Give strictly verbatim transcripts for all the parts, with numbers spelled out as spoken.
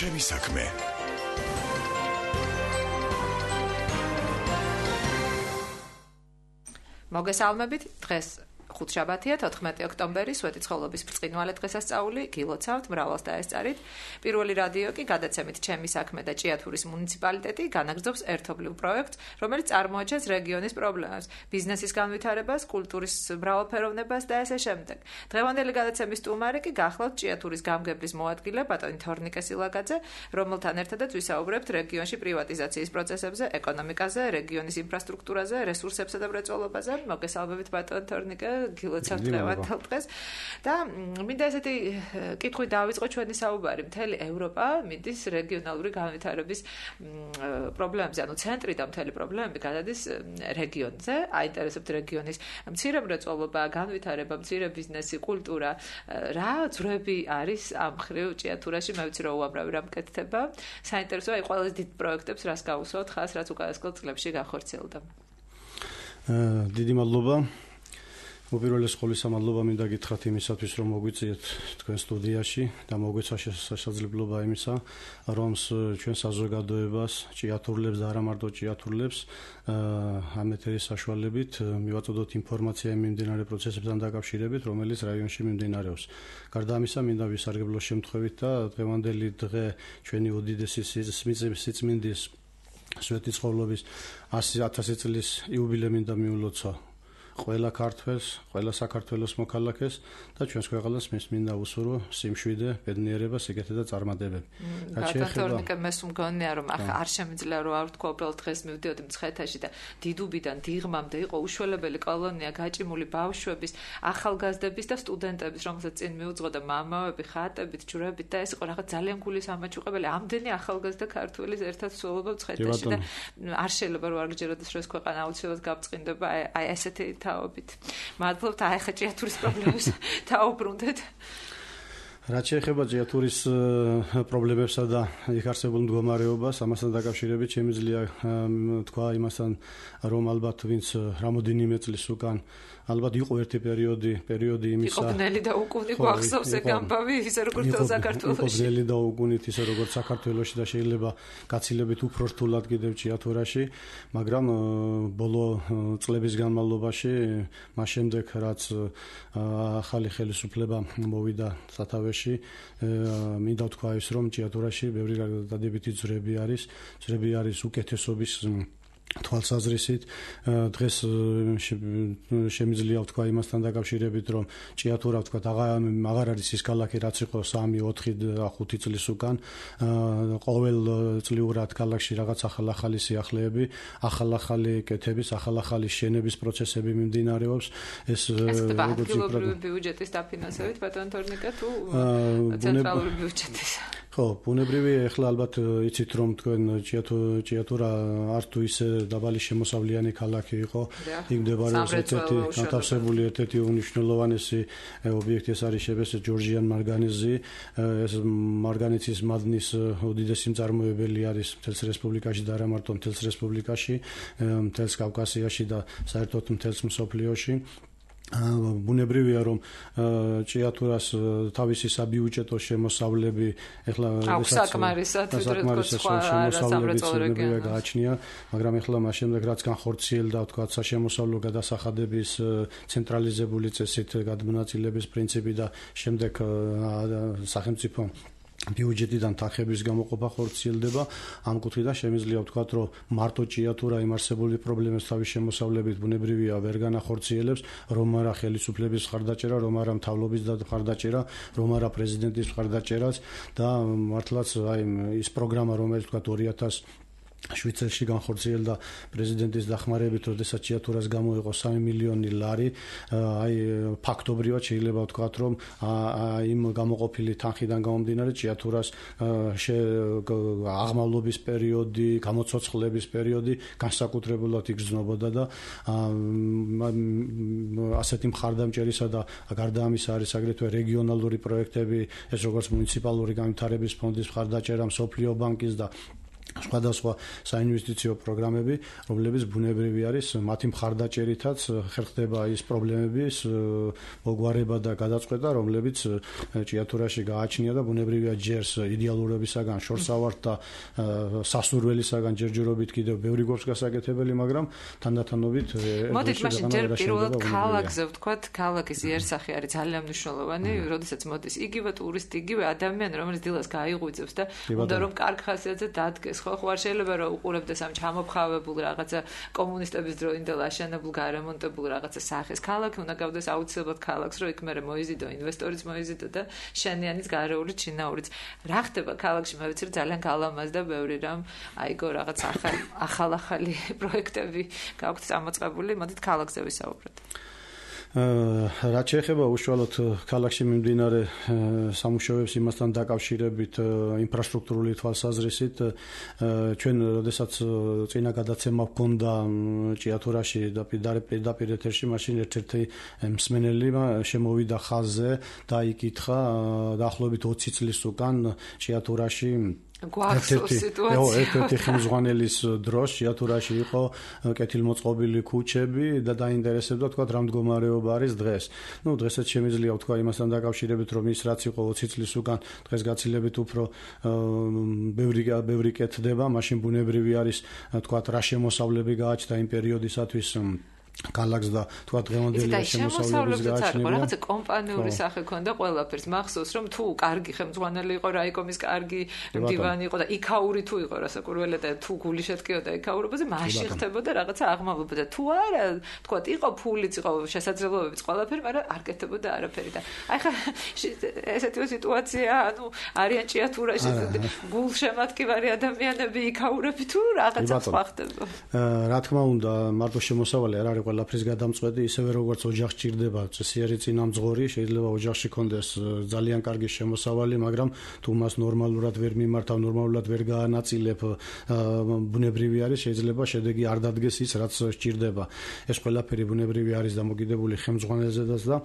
ჩემი საქმე. მოგესალმებით, დღეს ხუთშაბათია, თოთხმეტი ოქტომბერი, სვეტიცხოვლობის ბრწყინვალე დღესასწაული, გილოცავთ, მრავლას დაესწარით. პირველი რადიო კი გადაცემით ჩემი საქმე და ჭიათურის მუნიციპალიტეტი განაგრძობს ერთობლივ პროექტს, რომელიც წარმოაჩენს რეგიონის პრობლემებს, ბიზნესის განვითარებას, კულტურის მრავალფეროვნებას და ასე შემდეგ. დღევანდელი გადაცემის სტუმარი კი გახლავთ ჭიათურის გამგებლის მოადგილე ბატონი თორნიკე სილაგაძე, რომელთან ერთადაც ვისაუბრებთ რეგიონში პრივატიზაციის პროცესებზე, ეკონომიკაზე, რეგიონის ინფრასტრუქტურაზე, რესურსებსა და მრეწველობაზე. მოგესალმებით ბატონ თორნიკე. გილოცავთ დღევანდელ დღეს და მინდა ესეთი კითხვით დავიწყო ჩვენი საუბარი. მთელი ევროპა მიდის რეგიონალური განვითარების პრობლემებზე, ანუ ცენტრი და მთელი პრობლემები გადადის რეგიონზე. აინტერესებთ რეგიონის მცირე მრეწველობა, განვითარება, მცირე ბიზნესი, კულტურა. რა ძვრები არის ამ მხრივ ჭიათურაში? მე ვიცი რომ უამრავი რამ კეთდება. საინტერესოა აი ყველაზე დიდ პროექტებს რას გაუსვათ ხას, რაც უკანასკნელ წლებში გახორციელდა. დიდი მადლობა. უპირველეს ყოვლისა მადლობა მინდა გითხრათ იმისათვის რომ მოგვიწიეთ თქვენ სტუდიაში და მოგვეცა შესაძლებლობა იმისა რომ ჩვენ საზოგადოებას ჭიათურლებს და არა მარტო ჭიათურლებს ამ ეთერის საშუალებით მივაწოდოთ ინფორმაცია იმ მიმდინარე პროცესებთან დაკავშირებით რომელიც რაიონში მიმდინარეობს. გარდა ამისა მინდა ვისარგებლო შემთხვევით და დღევანდელი დღე ჩვენი უდიდესი სიწმინდის სვეტიცხოვლობის ასი ათასი წლის იუბილე მინდა მიულოცა ყველა ქართველს, ყველა საქართველოს მოქალაქეს და ჩვენს ქვეყანას მინდა უსურო სიმშვიდე, ბედნიერება, სიგეთე და წარმატებები. ბატონთორნიკე მე მგონია რომ ახლა არ შემიძლია რომ არ ვთქვა უბრალოდ დღეს მივდიოდი მცხეთაში და დიდუბიდან დიღმამდე იყო უშველებელი კოლონია გაჭიმული ბავშვების, ახალგაზრდების და სტუდენტების, რომელსაც წინ მიუძღოდა მამაები, ხატებით, ჯვრებით და ეს იყო რაღაც ძალიან გულის ამაჩუყებელი. ამდენი ახალგაზრდა ქართველის ერთად სულობა მცხეთაში და არ შეიძლება რომ არ გჯეროდეს რომ ეს ქვეყანა აუცილებლად გავწყინდება აი ესეთი თაობით. მადლობთ აი ხა ჭიათურის პრობლემებს დაუბრუნდეთ. რაც შეეხება ჭიათურის პრობლემებსა და იქ არსებულ მდგომარეობას, ამასთან დაკავშირებით შემიძლია თქვა იმასთან, რომ ალბათ ვინც რამოდენიმე წლის უკან ალბათ იყო ერთი პერიოდი, პერიოდი იმისა. იყო ბნელი და უკუნი გვახსოვს ეგ ამბავი, ისე როგორც საქართველოში. იყო ბნელი და უკუნით ისე როგორც საქართველოში და შეიძლება გაცილებით უფრო რთულად კიდევ ჭიათურაში, მაგრამ ბოლო წლების განმავლობაში, მას შემდეგ რაც ახალი ხელისუფლება მოვიდა სათავეში, მინდა ვთქვა ის, რომ ჭიათურაში ბევრი დადებითი ძვრები არის, ძვრები არის უკეთესობის თვალსაზრისით. დღეს შემიძლია ვთქვა იმასთან დაკავშირებით, რომ ჭიათურა ვთქვა აღარ არის ის ქალაქი, რაც იყო სამი, ოთხი, ხუთი წლის უკან. ყოველწლიურად ქალაქში რაღაც ახალ-ახალი სიახლეები, ახალ-ახალი კეთების, ახალ-ახალი შენების პროცესები მიმდინარეობს. ეს როგორც ადგილობრივი ბიუჯეტის დაფინანსებით ბატონ თორნიკე თუ ცენტრალური ბიუჯეტის? ხო, ბუნებრივი ეხლა ალბათ იცით რომ თქვენ ჭიათურა არ თუ ისე დაბალი შემოსავლიანი ქალაქი იყო. იქ მდებარეობს ერთ-ერთი განთავსებული ერთ-ერთი უმნიშვნელოვანესი ობიექტი ეს არის შებეს ჯორჯიან მარგანეზი. ეს მარგანეცის მადნის უდიდესი მწარმოებელი არის მთელს რესპუბლიკაში და არა მარტო მთელს რესპუბლიკაში, მთელს კავკასიაში და საერთოდ მთელს მსოფლიოში. ბუნებრივია რომ ჭიათურას თავისი საბიუჯეტო შემოსავლები ეხლა საკმარისად შემოსავლები გააჩნია, მაგრამ ეხლა მას შემდეგ რაც განხორციელდა თქვა საშემოსავლო გადასახადების ცენტრალიზებული წესით გადმონაწილების პრინციპი და შემდეგ სახელმწიფო ბიუჯეტიდან თანხების გამოყოფა ხორციელდება. ამ კუთხიდან შემიძლია ვთქვათ, რომ მარტო ჭიათურა იმ არსებული პრობლემებს თავის შემოსავლებით ბუნებრივია ვერ განახორციელებს, რომ არა ხელისუფლების მხარდაჭერა, რომ არა მთავრობის მხარდაჭერა, რომ არა პრეზიდენტის მხარდაჭერაც და მართლაც აი ის პროგრამა, რომელიც ვთქვათ ორი ათას შვიდ წელში განხორციელდა პრეზიდენტის დახმარებით, როდესაც ჭიათურას გამოიყო სამი მილიონი ლარი, აი ფაქტობრივად შეიძლება ვთქვათ, რომ იმ გამოყოფილი თანხიდან გამომდინარე ჭიათურას აღმავლობის პერიოდი, გამოცოცხლების პერიოდი განსაკუთრებულად იგრძნობოდა და ასეთი მხარდამჭერისა და გარდა ამისა არის აგრეთვე რეგიონალური პროექტები, ეს როგორც მუნიციპალური განვითარების ფონდის მხარდაჭერა, მსოფლიო ბანკის და სხვადასხვა საინვესტიციო პროგრამები, რომლებიც ბუნებრივი არის, მათი მხარდაჭერითაც ხერხდება ის პრობლემების მოგვარება და გადაწყვეტა, რომლებიც ჭიათურაში გააჩნია და ბუნებრივია ჯერს იდეალურობისაგან, შორსავართ და სასურველისაგან ჯერჯერობით კიდევ ბევრი გვაქვს გასაკეთებელი, მაგრამ თანდათანობით მოდით მაშინ ჯერ პირველად ქალაქზე ვთქვათ, ქალაქის იერსახე არის ძალიან მნიშვნელოვანი, როდესაც მოდის იგივე ტურისტი, იგივე ადამიანი, რომელიც დილას გაიღვიძებს და უნდა რომ კარგ ხასიათზე დადგეს. ხო, ხო, არ შეიძლება რომ უყურებდეს ამ ჩამოფხავებულ რაღაცა კომუნისტების დროინდელ აშენებულ გარემონტებულ რაღაცა სახეს. ქალაქი უნდა გავდეს აუცილებლად ქალაქს, რომ იქ მერე მოიზიდო ინვესტორიც მოიზიდო და შენიანიც გარეული ჩინაურიც. რა ხდება ქალაქში? მე ვიცი რომ ძალიან გალამაზდა ბევრი რამ, აიგო რაღაც ახალი ახალ-ახალი პროექტები გაქვთ წამოწყებული. მოდით ქალაქზე ვისაუბროთ. რაც შეეხება უშუალოდ ქალაქში მიმდინარე სამუშაოებს იმასთან დაკავშირებით ინფრასტრუქტურული თვალსაზრისით, ჩვენ როდესაც წინა გადაცემა გვქონდა ჭიათურაში და პირდაპირ ეთერში, მაშინ ერთ-ერთი მსმენელმა შემოვიდა ხაზზე და იკითხა დაახლოებით ოცი წლის უკან ჭიათურაში ერთ-ერთი ხელმძღვანელის დროს ჭიათურაში იყო კეთილმოწყობილი ქუჩები და დაინტერესებდა თქვა რა მდგომარეობა არის დღეს. ნუ დღესაც შემიძლია თქვა იმასთან დაკავშირებით, რომ ის რაც იყო ოცი წლის უკან დღეს გაცილებით უფრო ბევრი ბევრი კეთდება, მაშინ ბუნებრივი არის თქვა რა შემოსავლები გააჩნდა იმ პერიოდისათვის ქალაქს და თქვა დღევანდელი შემოსავლების გააჩნია. რაღაცა კომპანიური სახე ქონდა ყველაფერს. მახსოვს რომ თუ კარგი ხელმძღვანელი იყო, რაიკომის კარგი მდივანი იყო და იქაური თუ იყო რასაკურველია და თუ გული შეტკიოდა იქაურობაზე, მაშინ ხდებოდა რაღაცა აღმავლობა და თუ არა, თქვა იყო ფულიც, იყო შესაძლებლობებიც ყველაფერი, მაგრამ არ კეთდებოდა არაფერი და აი ხა ესეთი სიტუაცია, ანუ არიან ჭიათურაში გულშემატკივარი ადამიანები იქაურები თუ რაღაცა სხვა ხდება. რა თქმა უნდა, მარტო შემოსავალი არ არის ყველაფრის გადამწყვეტი, ისევე როგორც ოჯახს ჭირდება წესიერი წინამძღოლი, შეიძლება ოჯახში კონდეს ძალიან კარგი შემოსავალი, მაგრამ თუ მას ნორმალურად ვერ მიმართავ, ნორმალურად ვერ გაანაწილებ, ბუნებრივი არის, შეიძლება შედეგი არ დადგეს ის, რაც სჭირდება. ეს ყველაფერი ბუნებრივი არის დამოკიდებული ხელმძღვანელზედაც და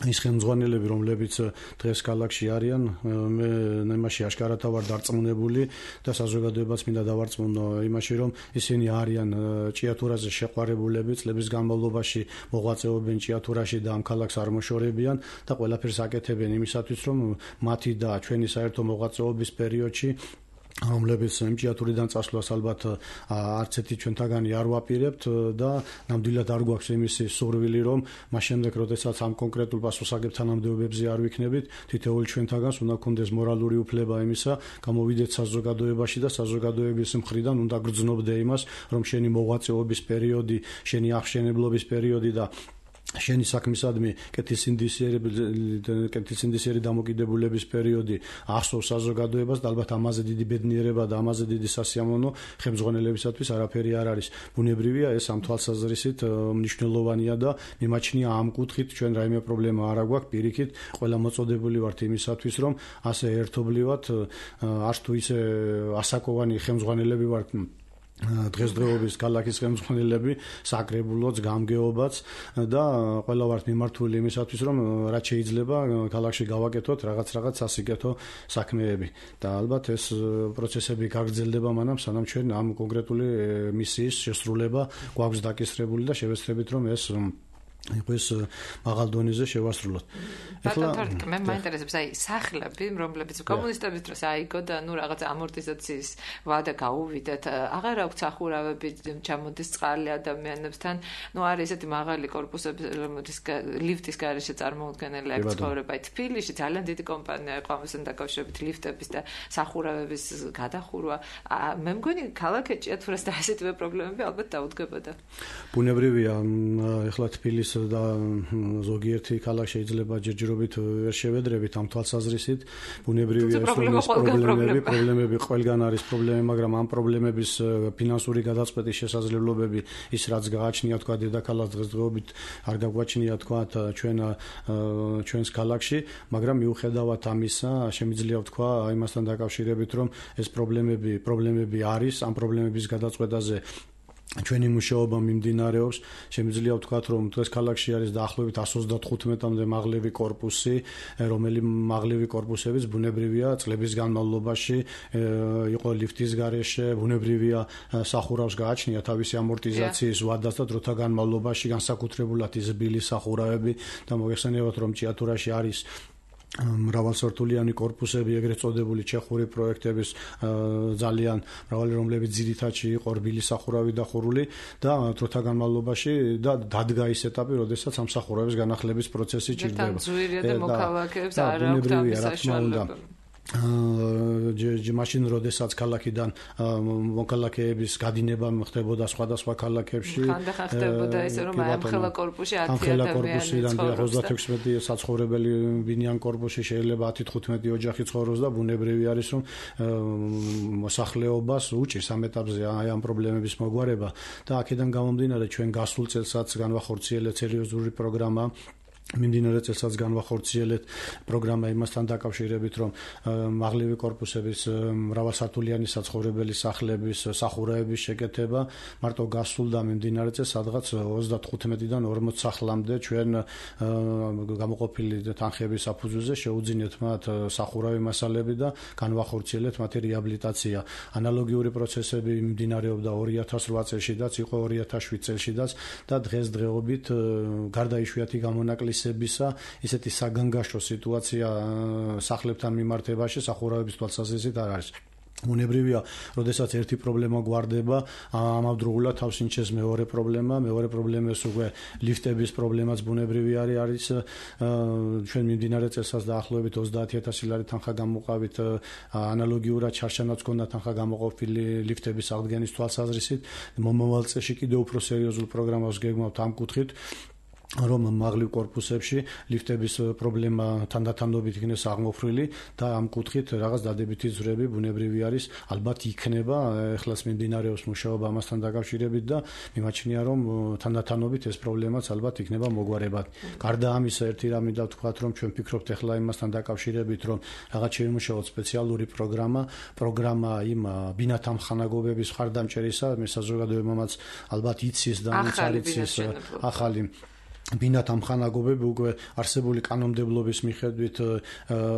ის ხელმძღვანელები, რომლებიც დღეს ქალაქში არიან, მე იმაში აშკარათა ვარ დარწმუნებული და საზოგადოებაც მინდა დავარწმუნო იმაში, რომ ისინი არიან ჭიათურაზე შეყვარებულები, წლების განმავლობაში მოღვაწეობენ ჭიათურაში და ამ ქალაქს არ მოშორებიან და ყველაფერს აკეთებენ იმისათვის, რომ მათი და ჩვენი საერთო მოღვაწეობის პერიოდში რომლებიც ჭიათურიდან წასვლას ალბათ არც ერთი ჩვენთაგანი არ ვაპირებთ და ნამდვილად არ გვაქვს იმისი სურვილი, რომ მას შემდეგ, როდესაც ამ კონკრეტულ პასუხისმგებლობებთან თანამდებობებზე არ ვიქნებით, თითოეული ჩვენთაგანს უნდა გქონდეს მორალური უფლება იმისა, გამოვიდეთ საზოგადოებაში და საზოგადოების მხრიდან უნდა გრძნობდე იმას, რომ შენი მოღვაწეობის პერიოდი, შენი აღშენებლობის პერიოდი და შენი საქმისადმი კეთილსინდისიერი დამოკიდებულების პერიოდი ახსოვს საზოგადოებას და ალბათ ამაზე დიდი ბედნიერება და ამაზე დიდი სასიამოვნო ხელმძღვანელებისათვის არაფერი არ არის. ბუნებრივია ეს ამ თვალსაზრისით მნიშვნელოვანია და მიმაჩნია ამ კუთხით ჩვენ რაიმე პრობლემა არ აქვს, პირიქით ყველა მოწოდებული ვართ იმისათვის, რომ ასე ერთობლივად არც თუ ისე ასაკოვანი ხელმძღვანელები ვართ დღესდღეობის ქალაქის ხელმძღვანელები, საკრებულოც, გამგეობაც და ყველა ვართ მიმართული იმისათვის, რომ რაც შეიძლება ქალაქში გავაკეთოთ რაღაც რაღაც სასიკეთო საქმეები და ალბათ ეს პროცესები გაგრძელდება მანამ, სანამ ჩვენ ამ კონკრეტული მისიის შესრულება გვაქვს დაკისრებული და შევეცდებით, რომ ეს იყოს მაღალ დონეზე შევასრულოთ. ეხლა მე მაინტერესებს აი სახლები, რომლებიც კომუნისტების დროს აიგო და ნუ რაღაც ამორტიზაციის ვადა გაუვიდათ, აღარ აქვს სახურავები, ჩამოდის წყალი ადამიანებთან, ნუ არის ესეთი მაღალი კორპუსები, რომლის ლიფტის გარეშე წარმოუდგენელი აქ ცხოვრება. აი თბილისში ძალიან დიდი კომპანია იყო ამასთან დაკავშირებით ლიფტების და სახურავების გადახურვა. მე მგონი ქალაქი ჭიათურას და ასეთივე პრობლემები ალბათ დაუდგებოდა. ბუნებრივია, ეხლა თბილისში და ზოგიერთი ქალაქ შეიძლება ჯერჯერობით ვერ შევედრებით ამ თვალსაზრისით. ბუნებრივია ეს პრობლემები, პრობლემები ყველგან არის პრობლემები, მაგრამ ამ პრობლემების ფინანსური გადაწყვეტის შესაძლებლობები ის რაც გააჩნია თქვა დედაქალაქს დღესდღეობით არ გაგვაჩნია თქვა ჩვენ ჩვენს ქალაქში, მაგრამ მიუხედავად ამისა შემიძლია ვთქვა იმასთან დაკავშირებით, რომ ეს პრობლემები პრობლემები არის, ამ პრობლემების გადაწყვეტაზე ჩვენი მუშაობა მიმდინარეობს. Შემიძლია ვთქვათ, რომ დღეს ქალაქში არის დაახლოებით εκατს ოცდათხუთმეტამდე მაღლივი კორპუსი, რომელიც მაღლივი კორპუსებიც ბუნებრივია წლების განმავლობაში იყო ლიფტის გარეშე, ბუნებრივია სახურავს გააჩნია თავისი ამორტიზაციის ვადას და დროთა განმავლობაში განსაკუთრებულად ის ბილი სახურავები და მოგეხსენებათ, რომ ჭიათურაში არის მრავალსართულიანი კორპუსები, ეგრეთ წოდებული ჩეხური პროექტების ძალიან მრავალი, რომლებიც ძირითადში იყო რბილი სახურავი დახურული და დროთა განმავლობაში და დადგა ის ეტაპი, როდესაც ამ სახურავების განახლების პროცესი ჭირდება. და ძვირია და მოქალაქეებს არ აქვს ამის საშუალება. მაშინ როდესაც ქალაქიდან მოქალაქეების გადინება ხდებოდა სხვადასხვა ქალაქებში, ხანდახან ხდებოდა ისე, რომ ამხელა კორპუსში ათი ადამიანი ცხოვრობს, ოცდათექვსმეტი საცხოვრებელი ბინიან კორპუსში შეიძლება ათი თხუთმეტი ოჯახი ცხოვრობს და ბუნებრივი არის, რომ მოსახლეობას უჭირს ამ ეტაპზე აი ამ პრობლემების მოგვარება და აქედან გამომდინარე ჩვენ გასულ წელსაც განვახორციელეთ სერიოზული პროგრამა მიმდინარე წელსაც განვახორციელეთ პროგრამა იმასთან დაკავშირებით, რომ მაღლივი კორპუსების მრავალსართულიანი საცხოვრებელი სახლების სახურავების შეკეთება მარტო გასულ და მიმდინარე წელს სადღაც ოცდათხუთმეტიდან ორმოცი სახლამდე ჩვენ გამოყოფილი თანხების საფუძველზე შეუძინეთ მათ სახურავი მასალები და განვახორციელეთ მათი რეაბილიტაცია. ანალოგიური პროცესები მიმდინარეობდა ორი ათას რვა წელშიდაც, იყო ორი ათას შვიდ წელშიდაც და დღესდღეობით გარდა იშვიათი გამონაკლისებისა ისეთი საგანგაშო სიტუაცია სახლებთან მიმართებაში სახურავების თვალსაზრისით არ არის. ბუნებრივია, როდესაც ერთი პრობლემა გვარდება, ამავდროულად თავს ინჩეს მეორე პრობლემა, მეორე პრობლემას უკვე ლიფტების პრობლემაც ბუნებრივი არის, არის ჩვენ მიმდინარე წელსაც დაახლოებით ოცდაათი ათასი ლარი თანხა გამოვყავით, ანალოგიურად ჩარჩანაც ჰქონდა თანხა გამოყოფილი ლიფტების აღდგენის თვალსაზრისით. მომავალ წელში კიდევ უფრო სერიოზულ პროგრამას გეგმავთ ამ კუთხით, რომ მაღლივ კორპუსებში ლიფტების პრობლემა თანდათანობით იქნეს აღმოფრილი და ამ კუთხით რაღაც დადებითი ძვრები ბუნებრივი არის, ალბათ იქნება, ეხლაც მიმდინარეობს მუშაობა ამასთან დაკავშირებით და მიმაჩნია, რომ თანდათანობით ეს პრობლემაც ალბათ იქნება მოგვარებად. გარდა ამისა, ერთი რამე დავთქვათ, რომ ჩვენ ფიქრობთ ეხლა იმასთან დაკავშირებით, რომ რაღაც შევიმუშაოთ სპეციალური პროგრამა, პროგრამა იმ ბინათა მხანაგობების მხარდამჭერისა, მე საზოგადოებამაც ალბათ იცის და იცის ახალი ბინათა მხანაგობები უკვე არსებული კანონმდებლობის მიხედვით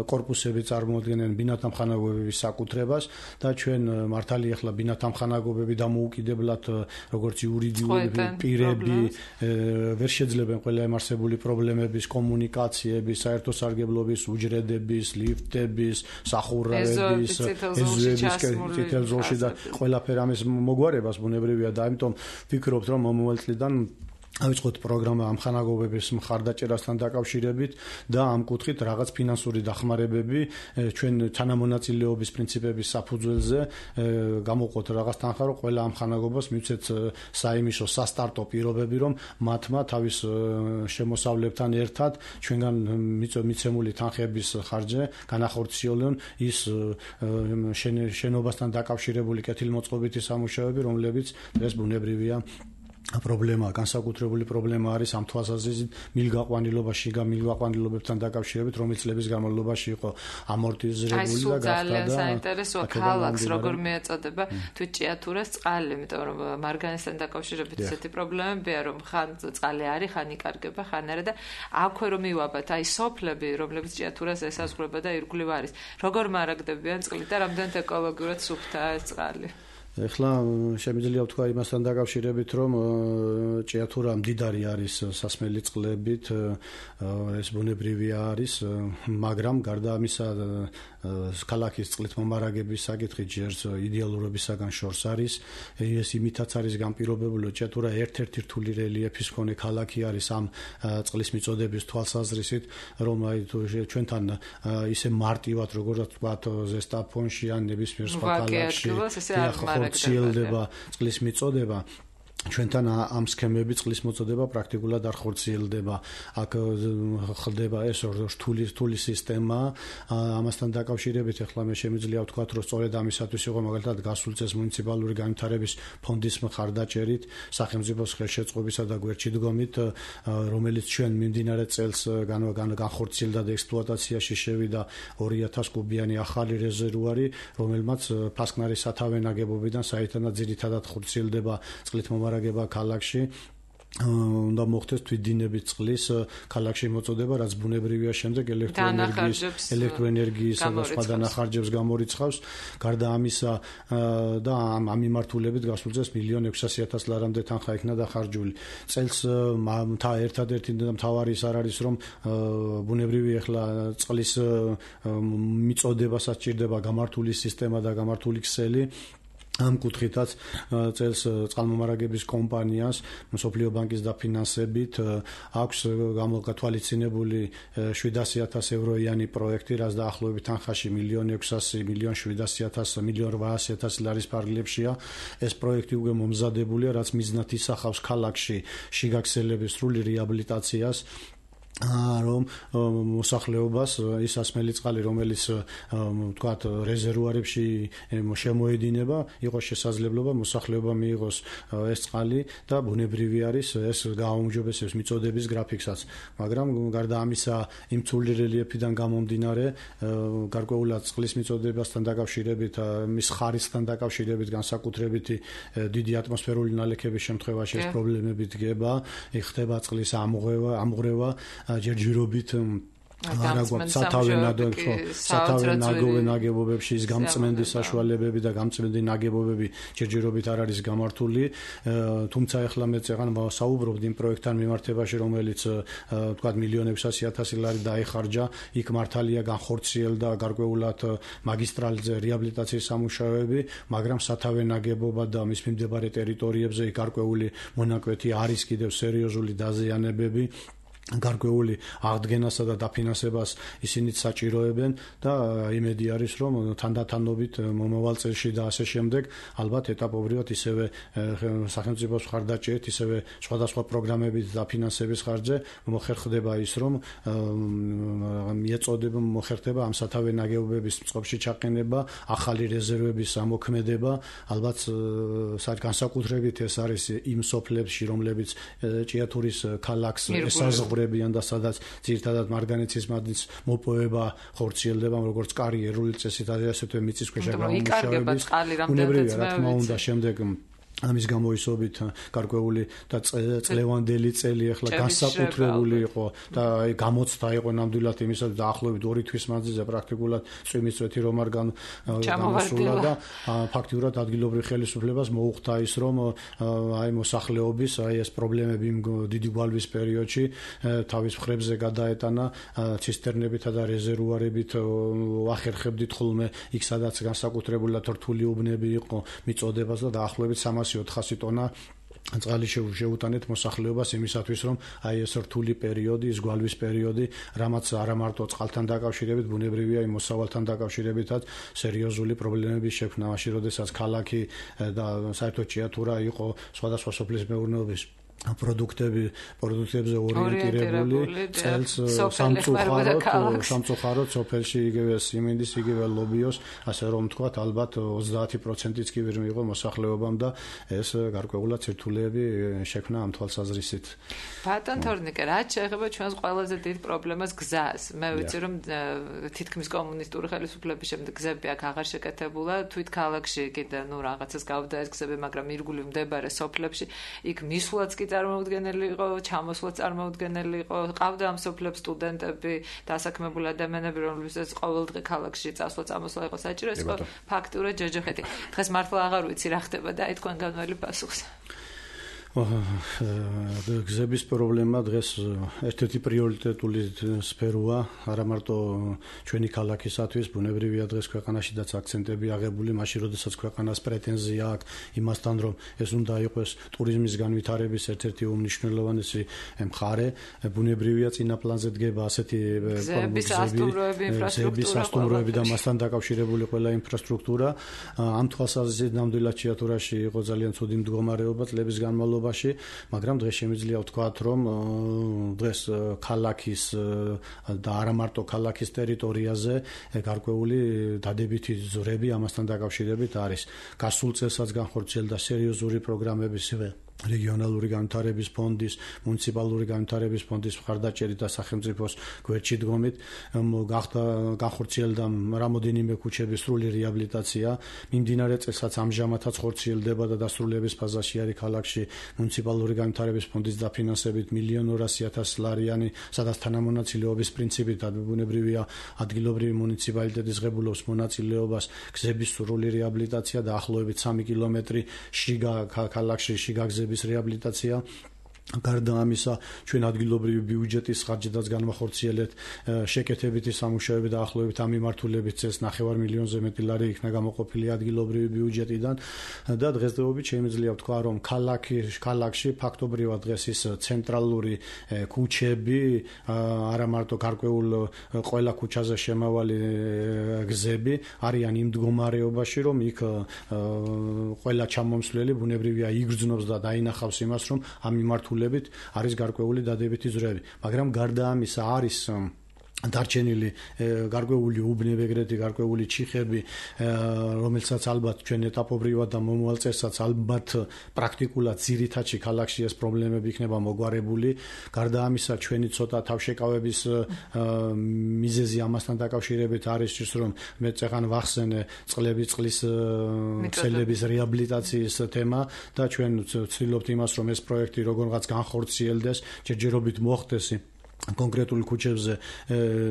კორპუსები წარმოადგენენ ბინათა მხანაგობების საკუთრებას და ჩვენ მართალი ახლა ბინათა მხანაგობები დამოუკიდებლად როგორც იურიდიული პირები ვერ შეძლებენ ყველა ამ არსებული პრობლემების, კომუნიკაციების, საერთო სარგებლობის, უჯრედების, ლიფტების, სახურავების, ეზოების, წითელ ზოლში და ყველაფერ ამის მოგვარებას ბუნებრივია და ამიტომ ვფიქრობთ, რომ მომავალ წლიდან ავიწყოთ პროგრამა ამ ხანაგობების მხარდაჭერასთან დაკავშირებით და ამ კუთხით რაღაც ფინანსური დახმარებები ჩვენ თანამონაწილეობის პრინციპების საფუძველზე გამოვყოთ რაღაც თანხა, რომ ყველა ამ ხანაგობას მივცეთ საიმიშო სასტარტო პირობები, რომ მათმა თავის შემოსავლებთან ერთად ჩვენგან მიცემული თანხების ხარჯზე განახორციელონ ის შენობასთან დაკავშირებული კეთილმოწყობითი სამუშაოები, რომლებიც დღეს ბუნებრივია პრობლემა, განსაკუთრებული პრობლემა არის ამ თვალსაზრისით მილგაყვანილობაში და მილგაყვანილობებთან დაკავშირებით, რომელიც წლების განმავლობაში იყო ამორტიზირებული და გახდა და ძალიან საინტერესოა ქალაქს როგორ მიეწოდება თვიჭიათურას წყალი, იმიტომ რომ მარგანისთან დაკავშირებით ესეთი პრობლემებია, რომ ხან წყალი არის, ხან იკარგება, ხან არა და აქვე რომ მივაბათ, აი სოფლები, რომლებიც ჭიათურას ესაზღვრება და ირგვლივ არის, როგორ მარაგდებიან წყლით და რამდენად ეკოლოგიურად სუფთაა ეს წყალი. ეხლა შემიძლია ვთქვა იმასთან დაკავშირებით, რომ ჭიათურა მდიდარი არის სასმელი წყლებით, ეს ბუნებრივი არის, მაგრამ გარდა ამისა ქალაქის წყლით მომარაგების საკითხი ჯერს იდეალურობისაგან შორს არის. ეს იმითაც არის განპირობებული, რომ ჭიათურა ერთ-ერთი რთული რელიეფის მქონე ქალაქი არის ამ წყლის მიწოდების თვალსაზრისით, რომ აი ჩვენთან ისე მარტივად როგორც ვთქვათ ზესტაფონში ან ნებისმიერ სხვა ქალაქში ხორციელდება წყლის მიწოდება. ჩვენთან ამ სქემები წყლის მოწოდება პრაქტიკულად არ ხორციელდება. აქ ხდება ეს რთული რთული სისტემა. ამასთან დაკავშირებით ახლა მე შემიძლია ვთქვა, რომ სწორედ ამისათვის იყო მაგალითად გასულ წელს მუნიციპალური განვითარების ფონდის მხარდაჭერით, სახელმწიფოს ხელშეწყობისა და გვერდში დგომით, რომელიც ჩვენ მიმდინარე წელს განხორციელდა და ექსპლუატაციაში შევიდა ორი ათას კუბიანი ახალი რეზერვუარი, რომელმაც ფასკნარის სათავე ნაგებობიდან საერთოდ ძირითადად ხორციელდება წყლით მომარაგება ქალაქში. უნდა მოხდეს თვითდინებით წყლის ქალაქში მოწოდება, რაც ბუნებრივია, შემდეგ ელექტროენერგიის ელექტროენერგიის და სხვა დანახარჯებს გამორიცხავს. გარდა ამისა და ამ მიმართულებით გასულ წელს მილიონი ექვსასი ათას ლარამდე თანხა იქნა დახარჯული. წელს მთა ერთადერთი მთავარი ის არ არის, რომ ბუნებრივი ახლა წყლის მიწოდებასაც ჭირდება გამართული სისტემა და გამართული ქსელი. ამ კუთხითაც წელს წყალმომარაგების კომპანიას მსოფლიო ბანკის დაფინანსებით აქვს გამოგათვალისწინებული შვიდასი ათას ევროიანი პროექტი, რაც დაახლოებით თანხაში მილიონი ექვსასი მილიონ შვიდასი ათას მილიონ რვაასი ათასი ლარის ფარგლებშია. ეს პროექტი უკვე მომზადებულია, რაც მიზნად ისახავს ქალაქში შიგაქსელების სრული რეაბილიტაციას, რომ მოსახლეობას ის ასმელი წყალი, რომელიც ვთქვათ რეზერვუარებში შემოედინება, იყოს შესაძლებლობა მოსახლეობა მიიღოს ეს წყალი და ბუნებრივი არის, ეს გააუმჯობესებს მიწოდების გრაფიკსაც. მაგრამ გარდა ამისა, იმ ცული რელიეფიდან გამომდინარე, გარკვეულად წყლის მიწოდებასთან დაკავშირებით, მის ხარისხთან დაკავშირებით, განსაკუთრებითი დიდი ატმოსფერული ნალექების შემთხვევაში ეს პრობლემები დგება, ხდება წყლის ამღვრევა, ამღვრევა ჯერჯერობით არა გვაქვს სათავე სათავე ნაგებობ ნაგებობებში ის გამწმენდის საშუალებები და გამწმენდი ნაგებობები ჯერჯერობით არ არის გამართული. თუმცა ახლა მე წეგან საუბრობთ იმ პროექტთან მიმართებაში, რომელიც ვთქვათ მილიონი ექვსასი ათასი ლარი დაიხარჯა, იქ მართალია განხორციელდა გარკვეულად მაგისტრალზე რეაბილიტაციის სამუშაოები, მაგრამ სათავე ნაგებობა და მის მიმდებარე ტერიტორიებზე გარკვეული მონაკვეთი არის კიდევ სერიოზული დაზიანებები. გარკვეული აღდგენასა და დაფინანსებას ისინი საჭიროებენ და იმედი არის, რომ თანდათანობით მომავალ წელში და ასე შემდეგ ალბათ ეტაპობრივად ისევე სახელმწიფოს მხარდაჭერით, ისევე სხვადასხვა პროგრამებით დაფინანსების ხარჯზე მოხერხდება ის, რომ მიეწოდება მოხერხდება ამ სათავე ნაგებობების წყობაში ჩაყენება, ახალი რეზერვების ამოქმედება. ალბათ განსაკუთრებით ეს არის იმ სოფლებში, რომლებიც ჭიათურის ქალაქს ესაზღვრება და სადაც ძირითადად მარგანეცის მადნის მოპოვება ხორციელდება, როგორც კარი ერული წესით, ასეთვე მიწისქვეშა გამომუშავების. ბუნებრივია, რა თქმა უნდა, შემდეგ ამის გამოისობით გარკვეული და წლევანდელი წელი ახლა განსაკუთრებული იყო და აი გამოცდა იყო ნამდვილად იმისა და დაახლოებით ორი თვის მანძილზე პრაქტიკულად წვიმისწვეთი რომ არ გამოსულა და ფაქტიურად ადგილობრივ ხელისუფლებას მოუხდა ის, რომ აი მოსახლეობის აი ეს პრობლემები დიდი გვალვის პერიოდში თავის მხრებზე გადაეტანა, ცისტერნებითა და რეზერვუარებით ვახერხებდით ხოლმე იქ სადაც განსაკუთრებულად რთული უბნები იყო მიწოდებას და დაახლოებით სამასი ოთხასი ტონა წყალი შეუტანეთ მოსახლეობას იმისათვის, რომ აი ეს რთული პერიოდი, ის გვალვის პერიოდი, რამაც არა მარტო წყალთან დაკავშირებით, ბუნებრივია იმ მოსავალთან დაკავშირებითაც სერიოზული პრობლემების შექმნა, მაშინ როდესაც ქალაქი და საერთოდ ჭიათურა იყო სხვადასხვა სოფლის მეურნეობის პროდუქტები პროდუქტებზე ორიენტირებული, წელს სამწუხაროდ სამწუხაროდ სოფელში იგივე სიმინდის, იგივე ლობიოს, ასე რომ ვთქვათ, ალბათ ოცდაათი პროცენტიც კი ვერ მიიღო მოსახლეობამ და ეს გარკვეულად ცირთულეები შექმნა ამ თვალსაზრისით. ბატონ თორნიკე, რაც შეეხება ჩვენს ყველაზე დიდ პრობლემას გზას. მე ვიცი, რომ თითქმის კომუნისტური ხელისუფლების შემდეგ გზები აქ აღარ შეკეთებულა, თვით ქალაქში კიდე ნუ რაღაცას გავდა ეს გზები, მაგრამ ირგული მდებარე სოფლებში იქ მისვლაც კი წარმოუდგენელი იყო, ჩამოსვლა წარმოუდგენელი იყო, ყავდა ამ სოფლებს სტუდენტები, დასაქმებული ადამიანები, რომლებსაც ყოველდღე ქალაქში წასვლა წამოსვლა იყო საჭირო, ეს იყო ფაქტურად ჯოჯოხეთი. დღეს მართლა აღარ ვიცი რა ხდება და აი თქვენ განვალი პასუხს. გზების პრობლემა დღეს ერთ-ერთი პრიორიტეტული სფეროა, არა მარტო ჩვენი ქალაქისათვის, ბუნებრივია დღეს ქვეყანაშიდაც აქცენტები აღებული, მაშინ როდესაც ქვეყანას პრეტენზია აქვს იმასთან, რომ ეს უნდა იყოს ტურიზმის განვითარების ერთ-ერთი უმნიშვნელოვანესი მხარე, ბუნებრივია წინა პლანზე დგება ასეთი გზების სასტუმროები, ინფრასტრუქტურა და მასთან დაკავშირებული ყველა ინფრასტრუქტურა. ამ თვალსაზრისით ნამდვილად ჭიათურაში იყო ძალიან ცუდი მდგომარეობა წლების განმავლობაში, მაგრამ დღეს შემიძლია ვთქვათ, რომ დღეს ქალაქის და არა მარტო ქალაქის ტერიტორიაზე გარკვეული დადებითი ძვრები ამასთან დაკავშირებით არის. გასულ წელსაც განხორციელდა სერიოზული პროგრამების რეგიონალური განვითარების ფონდის, მუნიციპალური განვითარების ფონდის მხარდაჭერით და სახელმწიფოს გვერდში დგომით გახდა განხორციელდა რამოდენიმე ქუჩების სრული რეაბილიტაცია. მიმდინარე წელსაც ამჟამადაც ხორციელდება და დასრულების ფაზაში არის ქალაქში მუნიციპალური განვითარების ფონდის დაფინანსებით მილიონ ორასი ათასი ლარიანი, სადაც თანამონაწილეობის პრინციპით ბუნებრივია ადგილობრივი მუნიციპალიტეტის ღებულობს მონაწილეობას გზების სრული რეაბილიტაცია და ახლოებით სამი კილომეტრი შიგა ქალაქში შიგა გზების რეაბილიტაცია. გარდა ამისა, ჩვენ ადგილობრივი ბიუჯეტის ხარჯებსაც განვახორციელებთ შეკეთებითი სამუშაოები და ახლოებით ამ მიმართულებით წელს ნახევარ მილიონზე მეტი ლარი იქნა გამოყოფილი ადგილობრივი ბიუჯეტიდან და დღესდღეობით შემიძლია ვთქვა, რომ ქალაქი ქალაქში ფაქტობრივად დღეს ის ცენტრალური ქუჩები, არა მარტო გარკვეულ ყველა ქუჩაზე შემავალი გზები არიან იმ მდგომარეობაში, რომ იქ ყველა ჩამომსვლელი ბუნებრივია იგრძნობს და დაინახავს იმას, რომ ამ მიმართულებით არის გარკვეული დადებითი ძვრები, მაგრამ გარდა ამისა არის დარჩენილი გარკვეული უბნები, ეგრეთი გარკვეული ჩიხები, რომელსაც ალბათ ჩვენ ეტაპობრივად და მომავალ წელსაც ალბათ პრაქტიკულად ძირითადში ქალაქში ეს პრობლემები იქნება მოგვარებული. გარდა ამისა, ჩვენი ცოტა თავშეკავების მიზეზი ამასთან დაკავშირებით არის ის, რომ მე წეგან ვახსენე წყლების წყლის ქსელების რეაბილიტაციის თემა და ჩვენ ვცდილობთ იმას, რომ ეს პროექტი როგორღაც განხორციელდეს, ჯერჯერობით მოხდეს კონკრეტულ ქუჩებზე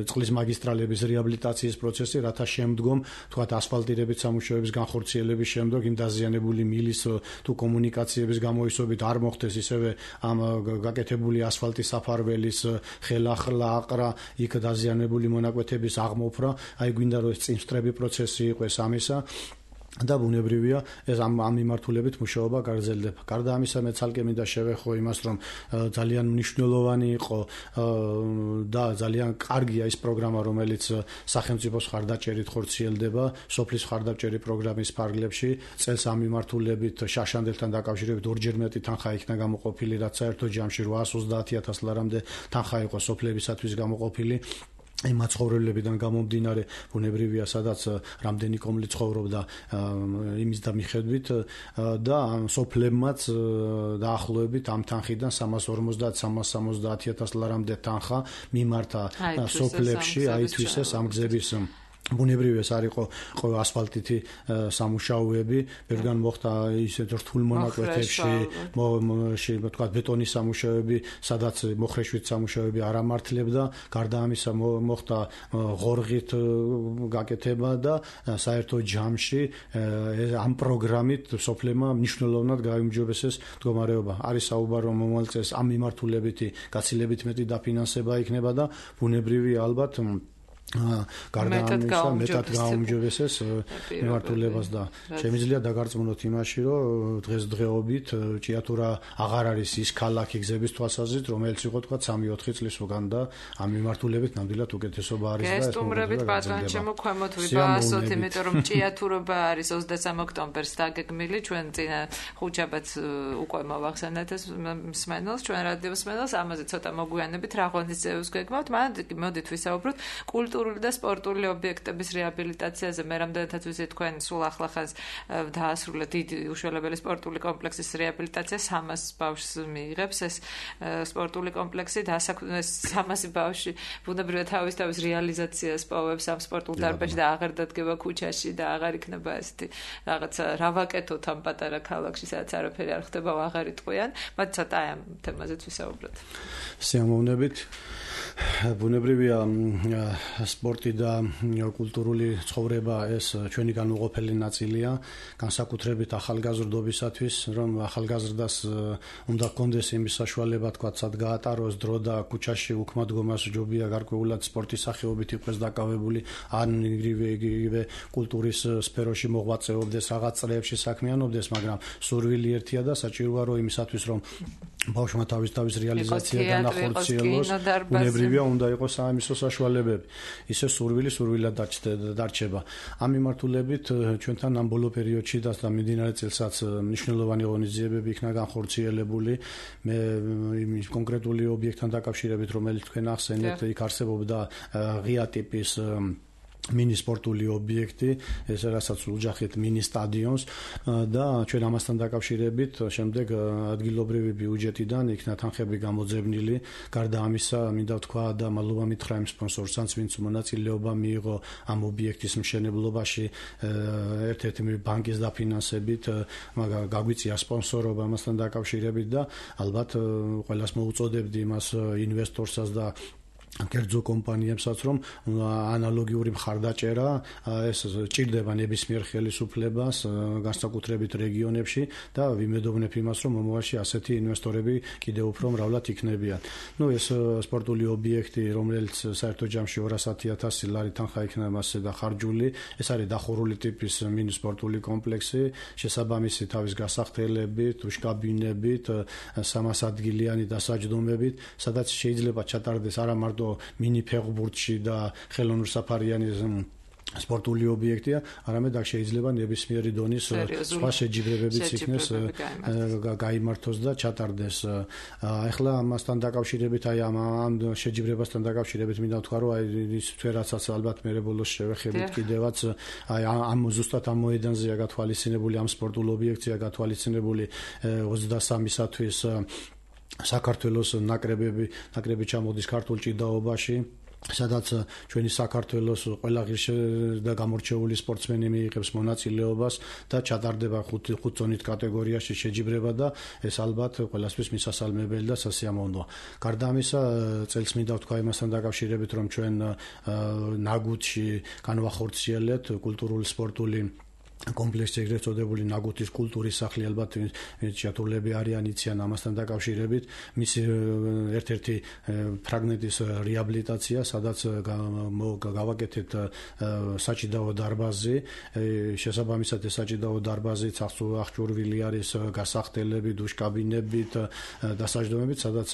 წყლის მაგისტრალების რეაბილიტაციის პროცესი, რათა შემდგომ, თქვათ, ასფალტირებით სამუშაოების განხორციელების შემდგომ იმ დაზიანებული მილის თუ კომუნიკაციების გამოისობით არ მოხდეს ისევე ამ გაკეთებული ასფალტის საფარველის ხელახლა აყრა, იქ დაზიანებული მონაკვეთების აღმოფრა, აი გვინდა რომ ეს წინსწრები პროცესი იყოს ამისა. და ბუნებრივია ეს ამ ამ მიმართულებით მუშაობა გაგრძელდება. გარდა ამისა, მე ცალკე მინდა შევეხო იმას, რომ ძალიან მნიშვნელოვანი იყო და ძალიან კარგია ის პროგრამა, რომელიც სახელმწიფოს მხარდაჭერით ხორციელდება, სოფლის მხარდაჭერი პროგრამის ფარგლებში. წელს ამ მიმართულებით შაშანდელთან დაკავშირებით ორჯერ მეტი თანხა იქნა გამოყოფილი, რაც საერთო ჯამში რვაას ოცდაათი ათასი ლარამდე თანხა იყო სოფლებისათვის გამოყოფილი. იმ მაცხოვრებლებიდან გამომდინარე, ბუნებრივია, სადაც რამდენი კომლი ცხოვრობდა იმის და მიხედვით და სოფლებმაც დაახლოებით ამ თანხიდან სამას ორმოცდაათ სამას სამოცდაათი ათასი ლარამდე თანხა მიმართა სოფლებში, აითვისეს ამ გზების ბუნებრივია ეს არ იყო ყოველ ასფალტითი სამუშაოები, ბევრგან მოხდა ისეთ რთულ მონაკვეთებში, თქვა ბეტონის სამუშაოები, სადაც მოხრეშვით სამუშაოები არ ამართლებდა, გარდა ამისა მოხდა ღორღით გაკეთება და საერთო ჯამში ამ პროგრამით სოფლებმა მნიშვნელოვნად გაიმჯობესეს მდგომარეობა. არის საუბარი, რომ მომავალ წელს ამ მიმართულებითი გაცილებით მეტი დაფინანსება იქნება და ბუნებრივია ალბათ გარდა ამისა მეტად გაუმჯობესეს მიმართულებას და შემიძლია დაგარწმუნოთ იმაში, რომ დღესდღეობით ჭიათურა აღარ არის ის ქალაქი გზების თვალსაზრისით, რომელიც იყო თქვა სამი ოთხი წლის უკან და ამ მიმართულებით ნამდვილად უკეთესობა არის და ეს გესტუმრებით ბატონ ჩემო ქვემოთ ვიბასოთ, იმიტომ რომ ჭიათურობა არის ოცდასამი ოქტომბერს დაგეგმილი, ჩვენ წინა ხუთშაბათს უკვე მოვახსენეთ ეს მსმენელს, ჩვენ რადიოს მსმენელს, ამაზე ცოტა მოგვიანებით რა ღონისძიებებს გეგმავთ, მაგრამ მოდით ვისაუბროთ კულტურული და სპორტული ობიექტების რეაბილიტაციაზე. მე რამდენადაც ვიცი, თქვენ სულ ახლახანს დაასრულეთ დიდი უშველებელი სპორტული კომპლექსის რეაბილიტაცია, სამას ბავშვს მიიღებს ეს სპორტული კომპლექსი და სამასი ბავშვი ბუნებრივად თავის თავის რეალიზაციას პოვებს ამ სპორტულ დარბაზში და აღარ დადგება ქუჩაში და აღარ იქნება ესეთი რაღაცა რა ვაკეთოთ ამ პატარა ქალაქში, სადაც არაფერი არ ხდება, აღარ იტყვიან. მათ ცოტა ამ თემაზეც ვისაუბროთ. სიამოვნებით. ბუნებრივია სპორტი და კულტურული ცხოვრება ეს ჩვენი განუყოფელი ნაწილია, განსაკუთრებით ახალგაზრდობისათვის, რომ ახალგაზრდას უნდა ჰქონდეს იმის საშუალება, თქვათ, სად გაატაროს დრო და ქუჩაში უქმად დგომას ჯობია გარკვეულად სპორტის სახეობით იყოს დაკავებული, ან იგივე კულტურის სფეროში მოღვაწეობდეს, რაღაც წრეებში საქმიანობდეს, მაგრამ სურვილი ერთია და საჭიროა რომ იმისათვის რომ ბავშვმა თავის თავის რეალიზაცია განახორციელოს, ბუნებრივია უნდა იყოს საიმისო საშუალებები. ისე სურვილი სურვილად დარჩება. ამ მიმართულებით ჩვენთან ამ ბოლო პერიოდში და მიმდინარე წელსაც მნიშვნელოვანი ღონისძიებები იქნა განხორციელებული. მე იმ კონკრეტული ობიექტთან დაკავშირებით, რომელიც თქვენ ახსენეთ, იქ არსებობდა ღია ტიპის მინი სპორტული ობიექტი, ეს რასაც უძახით მინი სტადიონს და ჩვენ ამასთან დაკავშირებით შემდეგ ადგილობრივი ბიუჯეტიდან იქნა თანხები გამოძებნილი. გარდა ამისა, მინდა ვთქვა და მადლობა მითხრა იმ სპონსორსაც, ვინც მონაწილეობა მიიღო ამ ობიექტის მშენებლობაში, ერთ-ერთი ბანკის დაფინანსებით, მაგრამ გაგვიწია სპონსორობა ამასთან დაკავშირებით და ალბათ ყველას მოუწოდებდი იმას ინვესტორსაც და კერძო კომპანიებსაც, რომ ანალოგიური მხარდაჭერა ეს ჭირდება ნებისმიერ ხელისუფლებას, განსაკუთრებით რეგიონებში და ვიმედოვნებ იმას, რომ მომავალში ასეთი ინვესტორები კიდევ უფრო მრავლად იქნებიან. ნუ ეს სპორტული ობიექტი, რომელიც საერთო ჯამში ორასი ათასი ლარი თანხა იქნება მასზე დახარჯული, ეს არის დახურული ტიპის მინი სპორტული კომპლექსი, შესაბამისი თავის გასახდელებით, უშკაბინებით, სამას ადგილიანი დასაჯდომებით, სადაც შეიძლება ჩატარდეს არა მარტო მინი ფეხბურთში და ხელოვნურ საფარიანი სპორტული ობიექტია, არამედ აქ შეიძლება ნებისმიერი დონის სხვა შეჯიბრებებიც იქნეს გაიმართოს და ჩატარდეს. ახლა ამასთან დაკავშირებით, აი ამ შეჯიბრებასთან დაკავშირებით მინდა ვთქვა, რომ აი ის თვერაცაც ალბათ მე ბოლოს შევეხებით კიდევაც, აი ამ ზუსტად ამ მოედანზეა გათვალისწინებული, ამ სპორტულ ობიექტზეა გათვალისწინებული ოცდასამისათვის საქართველოს ნაკრებები, ნაკრები ჩამოდის ქართულ ჭიდაობაში, სადაც ჩვენი საქართველოს ყველა ღირსი და გამორჩეული სპორტსმენი მიიღებს მონაწილეობას და ჩატარდება ხუთ ზონით კატეგორიაში შეჯიბრება და ეს ალბათ ყველასთვის მისასალმებელი და სასიამოვნოა. გარდა ამისა, წელს მინდა ვთქვა იმასთან დაკავშირებით, რომ ჩვენ ნაგუთში განვახორციელეთ კულტურული სპორტული კომპლექსი, ეგრეთ წოდებული ნაგუთის კულტურის სახლი, ალბათ შეათურლები არიან იციან ამასთან დაკავშირებით, მისი ერთ-ერთი ფრაგმენტის რეაბილიტაცია, სადაც გავაკეთეთ საჭიდაო დარბაზი, შესაბამისად ეს საჭიდაო დარბაზი აღჭურვილი არის გასახდელებით, უშკაბინებით, დასაჯდომებით, სადაც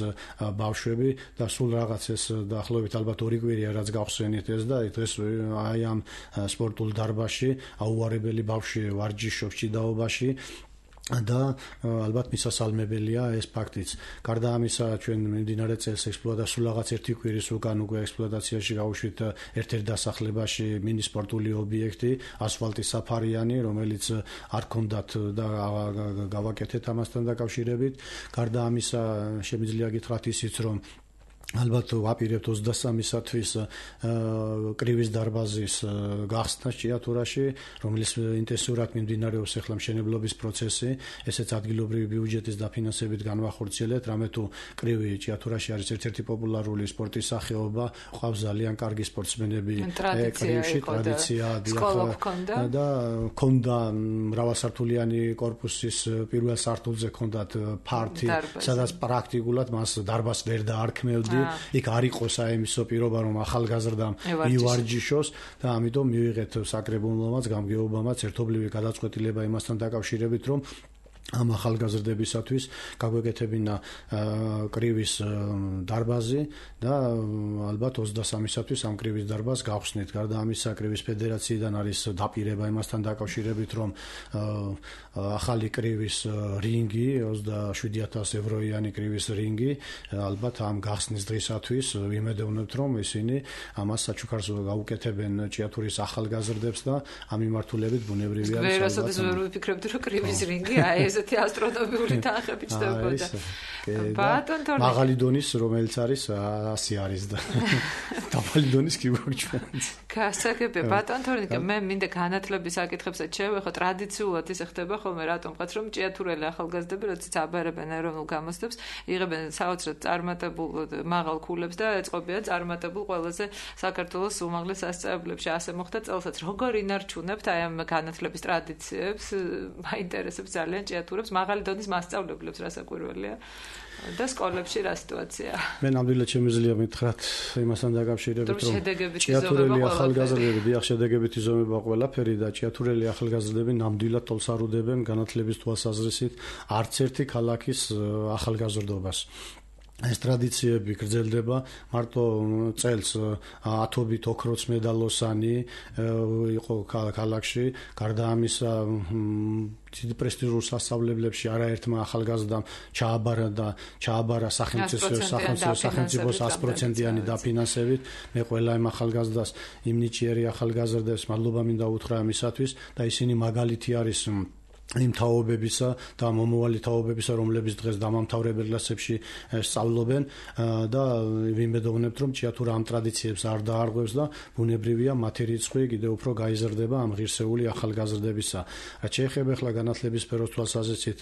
ბავშვები და სულ რაღაც ეს დაახლოებით ალბათ ორი კვირია რაც გავხსენით ეს და დღეს აი ამ სპორტულ დარბაზში აუარებელი ბავშვი ვარჯიშობს ჭიდაობაში და ალბათ მისასალმებელია ეს ფაქტიც. გარდა ამისა, ჩვენ მიმდინარე წელს ექსპლუატაციაში სულ რაღაც ერთი კვირის უკან უკვე ექსპლუატაციაში გავუშვით ერთ-ერთ დასახლებაში მინი სპორტული ობიექტი, ასფალტის საფარიანი, რომელიც არ ჰქონდათ და გავაკეთეთ ამასთან დაკავშირებით. გარდა ამისა, შემიძლია გითხრათ ისიც, რომ ალბათ ვაპირებთ ოცდასამისათვის კრივის დარბაზის გახსნა ჭიათურაში, რომელიც ინტენსიურად მიმდინარეობს ახლა მშენებლობის პროცესი, ესეც ადგილობრივი ბიუჯეტის დაფინანსებით განვახორციელეთ, რამე თუ კრივი ჭიათურაში არის ერთ-ერთი პოპულარული სპორტის სახეობა, ყავს ძალიან კარგი სპორტსმენები კრივში, ტრადიცია და ქონდა მრავალსართულიანი კორპუსის პირველ სართულზე ქონდათ ფართი, სადაც პრაქტიკულად მას დარბაზს ვერ დაარქმევდი. იქ არ იყო საიმისო პირობა, რომ ახალგაზრდამ ივარჯიშოს და ამიტომ მივიღეთ საკრებულომაც, გამგეობამაც ერთობლივი გადაწყვეტილება იმასთან დაკავშირებით, რომ ამ ახალგაზრდებისათვის გაგვეკეთებინა კრივის დარბაზი და ალბათ ოცდასამისათვის ამ კრივის დარბაზს გავხსნით. გარდა ამისა, კრივის ფედერაციიდან არის დაპირება იმასთან დაკავშირებით, რომ ახალი კრივის რინგი, ოცდაშვიდი ათასი ევროიანი კრივის რინგი, ალბათ ამ გახსნის დღისათვის ვიმედოვნებთ, რომ ისინი ამას საჩუქარს გაუკეთებენ ჭიათურის ახალგაზრდებს და ამ მიმართულებით ბუნებრივია. ვერასოდეს ვერ ვიფიქრებდი, რომ კრივის რინგი აი ეს ესეთი ასტრონომიული თანხები ჩნდებოდა. ბატონ თორნიკე. მაღალი დონის, რომელიც არის ასი არის და დაბალი დონის კი გვაქვს. გასაგებია, ბატონ თორნიკე, მე მინდა განათლების საკითხებსაც შევეხო, ტრადიციულად ისე ხდება ხოლმე რატომღაც რომ ჭიათურელი ახალგაზრდები როდესაც აბარებენ ეროვნულ გამოცდებს, იღებენ საოცრად წარმატებულ მაღალ ქულებს და ეწყობიან წარმატებულ ყველაზე საქართველოს უმაღლეს სასწავლებლებში. ასე მოხდა წელსაც. როგორ ინარჩუნებთ აი ამ განათლების ტრადიციებს? მაინტერესებს ძალიან ჭიათურებს, მაღალი დონის მასწავლებლებს, რასაკვირველია. და სკოლებში რა სიტუაცია? მე ნამდვილად შემიძლია მითხრათ იმასთან დაკავშირებით, რომ ჭიათურელი ახალგაზრდები, დიახ, შედეგებითი ზომება ყველაფერი და ჭიათურელი ახალგაზრდები ნამდვილად თოლს არ უდებენ განათლების თვალსაზრისით არც ერთი ქალაქის ახალგაზრდობას. ეს ტრადიციები გრძელდება მარტო წელს ათობით ოქროც მედალოსანი იყო ქალაქში, გარდა ამისა დიდ პრესტიჟულ სასწავლებლებში არაერთმა ახალგაზრდამ ჩააბარა და ჩააბარა სახელმწიფო სახელმწიფოს ას პროცენტიანი დაფინანსებით. მე ყველა იმ ახალგაზრდას, იმ ნიჭიერი ახალგაზრდებს მადლობა მინდა უთხრა ამისათვის და ისინი მაგალითი არის იმ თაობებისა და მომავალი თაობებისა, რომლებიც დღეს დამამთავრებელ კლასებში სწავლობენ და ვიმედოვნებთ, რომ ჭიათურა ამ ტრადიციებს არ დაარღვევს და ბუნებრივია მათი რიცხვი კიდევ უფრო გაიზრდება ამ ღირსეული ახალგაზრდებისა. რაც შეეხება ახლა განათლების სფეროს თვალსაზრისით,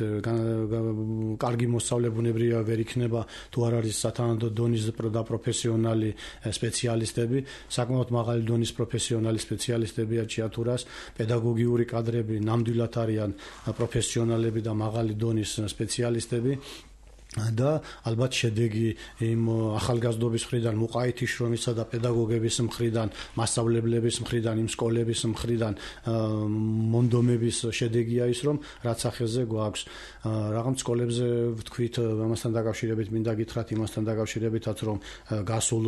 კარგი მოსწავლე ბუნებრივია ვერ იქნება თუ არ არის სათანადო დონის და პროფესიონალი სპეციალისტები, საკმაოდ მაღალი დონის პროფესიონალი სპეციალისტებია ჭიათურას, პედაგოგიური კადრები ნამდვილად არიან პროფესიონალები და მაღალი დონის სპეციალისტები და ალბათ შედეგი იმ ახალგაზრდობის მხრიდან, მუყაითი შრომისა და პედაგოგების მხრიდან, მასწავლებლების მხრიდან, იმ სკოლების მხრიდან მონდომების შედეგია ის, რომ რაც ახეზე გვაქვს. რაღაც სკოლებზე ვთქვით, ამასთან დაკავშირებით მინდა გითხრათ, იმასთან დაკავშირებითაც, რომ გასულ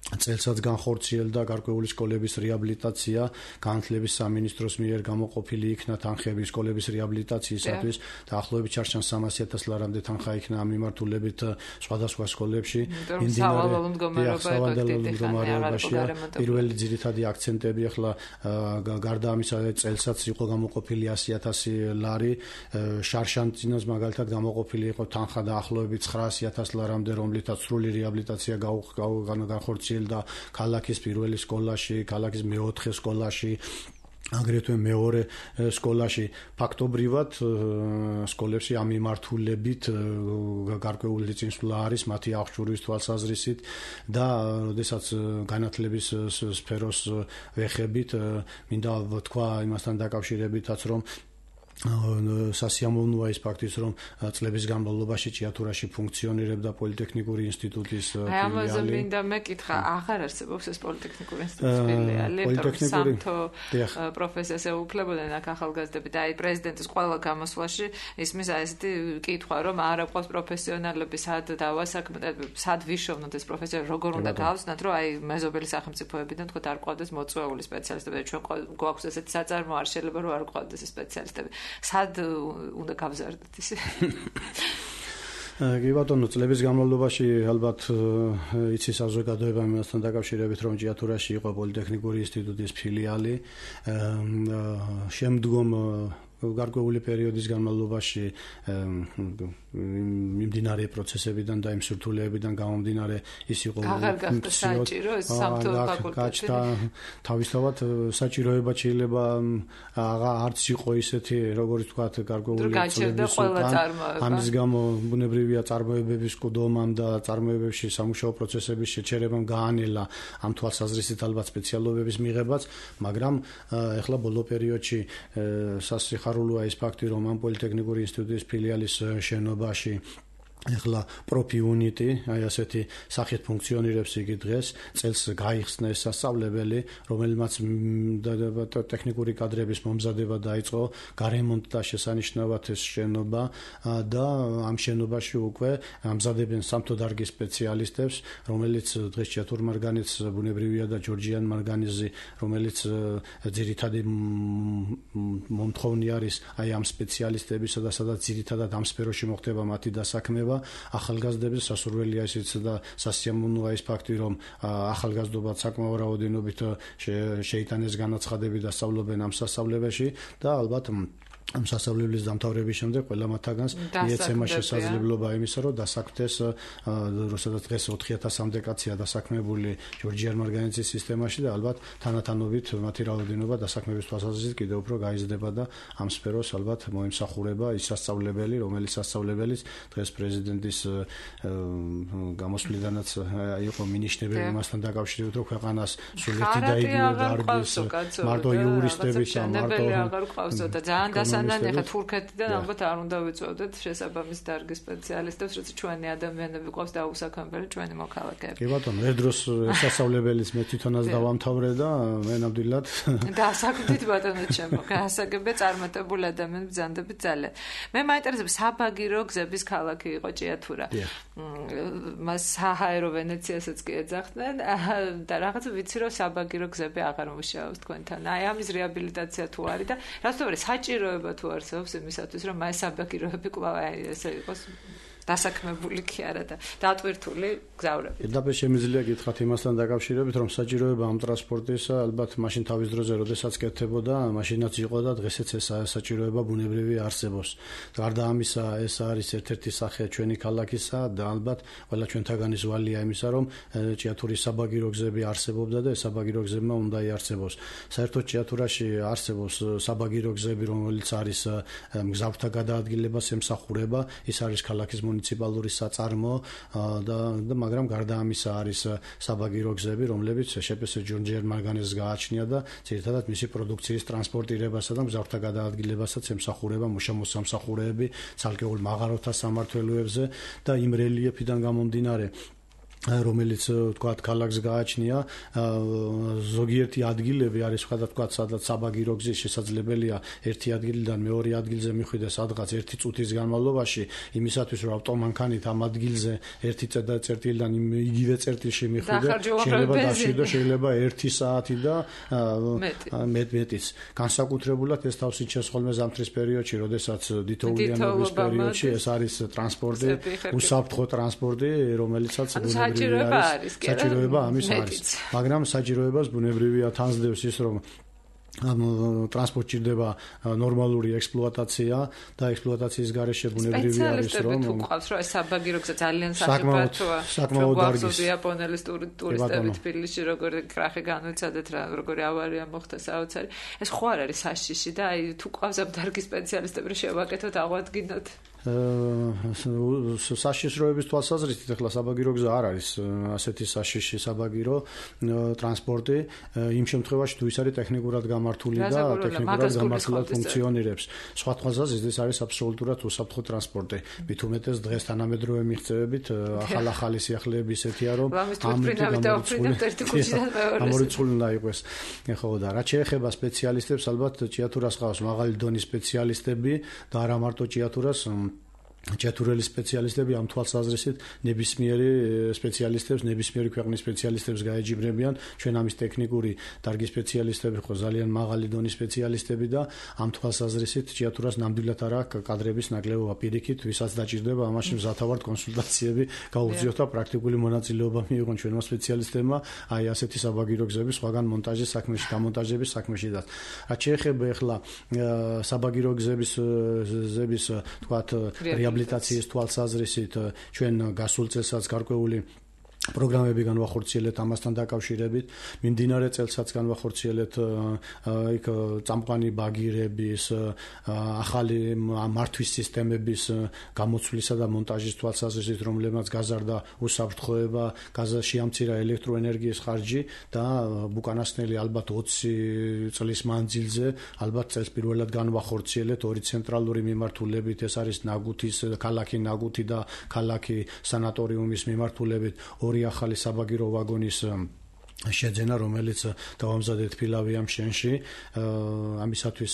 წელსაც განხორციელდა გარკვეული სკოლების რეაბილიტაცია, განათლების სამინისტროს მიერ გამოყოფილი იქნა თანხები სკოლების რეაბილიტაციისათვის და ახლობებით ჩარჩან სამასი ათას ლარამდე თანხა იქნა ამ მიმართულებით სხვადასხვა სკოლებში. მდგომარეობაშია. პირველი ძირითადი აქცენტები ახლა გარდა ამისა წელსაც იყო გამოყოფილი ასი ათასი ლარი, შარშანტინოს მაგალითად გამოყოფილი იყო თანხა დაახლოებით ცხრაასი ათას ლარამდე, რომლითაც სრული რეაბილიტაცია განხორციელდა და ქალაქის პირველი სკოლაში, ქალაქის მეოთხე სკოლაში, აგრეთვე მეორე სკოლაში. ფაქტობრივად სკოლებში ამ მიმართულებით გარკვეული წინსვლა არის მათი აღჭურვის თვალსაზრისით და როდესაც განათლების სფეროს ვეხებით, მინდა ვთქვა იმასთან დაკავშირებითაც, რომ სასიამოვნოა ის ფაქტიც, რომ წლების განმავლობაში ჭიათურაში ფუნქციონირებდა პოლიტექნიკური ინსტიტუტის ფილიალი. აი ამაზე მინდა მეკითხა, აღარ არსებობს ეს პოლიტექნიკური ინსტიტუტის ფილიალი, სამთო პროფესიას ეუფლებოდნენ აქ ახალგაზრდები და აი პრეზიდენტის ყველა გამოსვლაში ისმის აი ესეთი კითხვა, რომ არ აქვს პროფესიონალები, სად დავასაქმდეთ, სად ვიშოვნოთ ეს პროფესია, როგორ უნდა გავხსნათ, რომ აი მეზობელი სახელმწიფოებიდან თქო არ ყავდეს მოწვეული სპეციალისტები და ჩვენ გვაქვს ესეთი საწარმო, არ შეიძლება რომ არ ყავდეს სპეციალისტები. სად უნდა გავზარდოთ ისე? კი ბატონო, წლების განმავლობაში ალბათ იცის საზოგადოება იმასთან დაკავშირებით, რომ ჭიათურაში იყო პოლიტექნიკური ინსტიტუტის ფილიალი. შემდგომ გარკვეული პერიოდის განმავლობაში მიმდინარე პროცესებიდან და იმ სირთულეებიდან გამომდინარე ის იყო საჭირო სამთო ფაკულტეტი. თავისთავად საჭიროება შეიძლება არც იყო ისეთი, როგორც ვთქვათ, გარკვეული წლების უკან. ამის გამო ბუნებრივია წარმოებების ყდომამ და წარმოებებში სამუშაო პროცესების შეჩერებამ გაანელა ამ თვალსაზრისით ალბათ სპეციალობების მიღებაც, მაგრამ ეხლა ბოლო პერიოდში სასიხარულოა ის ფაქტი, რომ ამ პოლიტექნიკური ინსტიტუტის ფილიალის შენობაში ეხლა პროფი უნიტი, აი ასეთი სახით ფუნქციონირებს იგი დღეს, წელს გაიხსნა ეს სასწავლებელი, რომელმაც ტექნიკური კადრების მომზადება დაიწყო, გარემონტდა შესანიშნავად ეს შენობა და ამ შენობაში უკვე ამზადებენ სამთო დარგის სპეციალისტებს, რომელიც დღეს ჭიათურ მარგანეცს ბუნებრივია და ჯორჯიან მარგანეზი, რომელიც ძირითადი მომთხოვნი არის აი ამ სპეციალისტებისა და სადაც ძირითადად ამ სფეროში მოხდება მათი დასაქმება. ახალგაზრდების სასურველია ისიც და სასიამოვნოა ის ფაქტი, რომ ახალგაზრდობა საკმაო რაოდენობით შეიტანეს განაცხადები და სწავლობენ ამ სასწავლებელში და ალბათ ამ სასწავლებლის დამთავრების შემდეგ ყველა მათგანს მიეცემა შესაძლებლობა იმისა, რომ დასაქმდეს, როდესაც დღეს ოთხი ათასამდე კაცია დასაქმებული ჯორჯიან ორგანიზაციის სისტემაში და ალბათ თანათანობით მათი რაოდენობა დასაქმების თვალსაზრისით კიდევ უფრო გაიზრდება და ამ სფეროს ალბათ მოიმსახურება ის სასწავლებელი, რომელიც სასწავლებელიც დღეს პრეზიდენტის გამოსვლიდანაც იყო მინიშნებული იმასთან დაკავშირებით, რომ ქვეყანას სულეთი დაიგვირა დარგის მარტო იურისტების და მარტო აღარ ყავსო და ძალიან დასანანი ხა თურქეთიდან ალბათ არ უნდა ვიწოდეთ შესაბამის დარგის სპეციალისტებს, როცა ჩვენი ადამიანები ყავს დაუსაქმებელი ჩვენი მოქალაქეები. კი ბატონო, ერთ დროს სასწავლებელის მე თვითონაც დავამთავრე და მე ნამდვილად დასაქმდით ბატონო ჩემო, გასაგებია წარმატებული ადამიანები ბრძანდებით ძალიან. მე მაინტერესებს საბაგირო გზების ქალაქი იყო ჭიათურა. მას საჰაერო ვენეციასაც კი ეძახდნენ და რაღაცა ვიცი რომ საბაგირო გზები აღარ მუშაობს თქვენთან. აი ამის რეაბილიტაცია თუ არის და რასთვარი საჭიროება თუ არსებობს იმისათვის რომ აი საბაგიროები კვლავ ესე იყოს დასაქმებული კი არა და დატვირთული გზავრები. Პირდაპირ შემიძლია გითხრათ იმასთან დაკავშირებით, რომ საჭიროება ამ ტრანსპორტის ალბათ მაშინ თავის დროზე როდესაც კეთდებოდა, მაშინაც იყო და დღესაც ეს საჭიროება ბუნებრივი არსებობს. გარდა ამისა, ეს არის ერთ-ერთი სახე ჩვენი ქალაქისა და ალბათ ყველა ჩვენთაგანი ზვალია იმისა, რომ ჭიათურის საბაგირო გზები არსებობდა და ეს საბაგირო გზებმა უნდა იარსებოს. საერთოდ ჭიათურაში არსებობს საბაგირო გზები, რომელიც არის მგზავრთა გადაადგილებას ემსახურება, ის არის ქალაქის მუნიციპალური საწარმო და მაგრამ გარდა ამისა არის საბაგირო გზები, რომლებიც შეპეს ჯორჯიან მარგანეს გააჩნია და ძირითადად მისი პროდუქციის ტრანსპორტირებასა და მგზავრთა გადაადგილებასაც ემსახურება მუშა-მოსამსახურეები ცალკეულ მაღაროთა სამმართველოებზე და იმ რელიეფიდან გამომდინარე რომელიც თქვათ ქალაქს გააჩნია ზოგიერთი ადგილები არის ვთქვათ სადაც საბაგირო გზის შესაძლებელია ერთი ადგილიდან მეორე ადგილზე მიხვიდეს სადღაც ერთი წუთის განმავლობაში იმისათვის რომ ავტომანქანით ამ ადგილზე ერთი წერტილიდან იგივე წერტილში მიხვიდე შეიძლება დაშვიდო შეიძლება ერთი საათი და მეტ-მეტიც განსაკუთრებულად ეს თავს იჩენს ხოლმე ზამთრის პერიოდში როდესაც დითოულიანობის პერიოდში ეს არის ტრანსპორტი უსაფრთხო ტრანსპორტი რომელიცაც საჭიროება არის, კი არა? საჭიროება ამის არის. მაგრამ საჭიროებას ბუნებრივია თანსდევს ის, რომ ამ ტრანსპორტ ჭირდება ნორმალური ექსპლუატაცია და ექსპლუატაციის გარეშე ბუნებრივი არის რომ სპეციალისტები თუ ყავს რომ ეს საბაგირო გზა ძალიან საფრთხოა საკმაოდ დარგის იაპონელის ტურისტები თბილისში როგორი კრახი განვიცადეთ რა როგორი ავარია მოხდა საოცარი ეს ხო არ არის საშიში და აი თუ ყავს ამ დარგის სპეციალისტები შევაკეთოთ აღვადგინოთ საშიშროების თვალსაზრისით ახლა საბაგირო გზა არ არის ასეთი საშიში საბაგირო ტრანსპორტი იმ შემთხვევაში თუ ის არის ტექნიკურად გამართული და ტექნიკურად გამართულად ფუნქციონირებს სხვა თვალსაზრისით ეს არის აბსოლუტურად უსაფრთხო ტრანსპორტი მით უმეტეს დღეს თანამედროვე მიღწევებით ახალ-ახალი სიახლეები ისეთია რომ ამორიცხული უნდა იყოს ხო და რაც შეეხება სპეციალისტებს ალბათ ჭიათურას ყავს მაღალი დონის სპეციალისტები და არა მარტო ჭიათურას ჭიათურელი სპეციალისტები ამ თვალსაზრისით ნებისმიერი სპეციალისტებს ნებისმიერი ქვეყნის სპეციალისტებს გაეჯიბრებიან ჩვენ ამის ტექნიკური დარგის სპეციალისტები ხო ძალიან მაღალი დონის სპეციალისტები და ამ თვალსაზრისით ჭიათურას ნამდვილად არ აქვს კადრების ნაკლებობა პირიქით ვისაც დაჭირდება ამაში მზათავართ კონსულტაციები გაუგზავნოთ და პრაქტიკული მონაწილეობა მიიღონ ჩვენმა სპეციალისტებმა აი ასეთი საბაგირო გზების სხვაგან მონტაჟის საქმეში გამონტაჟების საქმეში და რაც შეეხება ახლა საბაგირო გზების ზების თქვათ რეაბილიტაციის თვალსაზრისით ჩვენ გასულ წელსაც გარკვეული პროგრამები განვახორციელეთ ამასთან დაკავშირებით მიმდინარე წელსაც განვახორციელეთ იქ წამყვანი ბაგირების ახალი მართვის სისტემების გამოცვლისა და მონტაჟის თვალსაზრისით რომლებმაც გაზარდა უსაფრთხოება შეამცირა ელექტროენერგიის ხარჯი და უკანასკნელი ალბათ ოცი წლის მანძილზე ალბათ წელს პირველად განვახორციელეთ ორი ცენტრალური მიმართულებით ეს არის ნაგუთის ქალაქი ნაგუთი და ქალაქი სანატორიუმის მიმართულებით ორი ახალი საბაგირო ვაგონის შეძენა რომელიც დავამზადეთ ფილავიამ შენში ამისათვის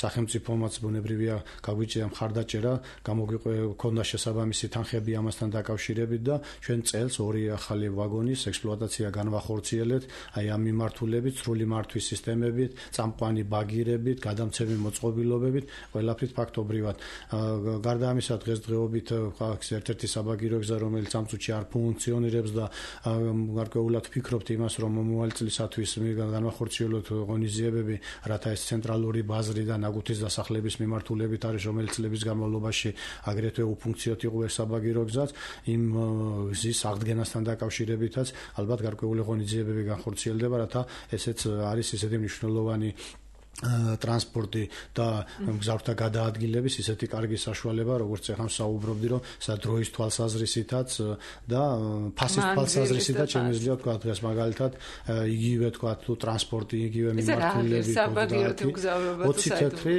სახელმწიფომაც ბუნებრივია გაგვიჭირა მხარდაჭერა გამოგვიყვება შესაბამისი თანხები ამასთან დაკავშირებით და ჩვენ წელს ორი ახალი ვაგონის ექსპლუატაცია განვახორციელეთ აი ამ მიმართულებით სრული მართვის სისტემებით წამყვანი ბაგირებით გადამცემი მოწყობილობებით ყველაფრით ფაქტობრივად გარდა ამისა დღესდღეობით ერთ-ერთი საბაგირო გზა რომელიც ამ წუთში არ ფუნქციონირებს და გარკვეულად ვფიქრობთ იმას რომ მომავალი წლისათვის განვახორციელოთ ღონისძიებები, რათა ეს ცენტრალური ბაზრი და ნაგუთის დასახლების მიმართულებით არის, რომელიც წლების განმავლობაში აგრეთვე უფუნქციოდ იყო ეს საბაგირო გზაც, იმ გზის აღდგენასთან დაკავშირებითაც ალბათ გარკვეული ღონისძიებები განხორციელდება, რათა ესეც არის ისეთი მნიშვნელოვანი ტრანსპორტი და მგზავრთა გადაადგილების ისეთი კარგი საშუალება, როგორც ახლა საუბრობდი, რომ სადროის თვალსაზრისითაც და ფასის თვალსაზრისითაც შემიძლია თქვა დღეს მაგალითად იგივე თქვა თუ ტრანსპორტი, იგივე მიმართულებით ოცი თეთრი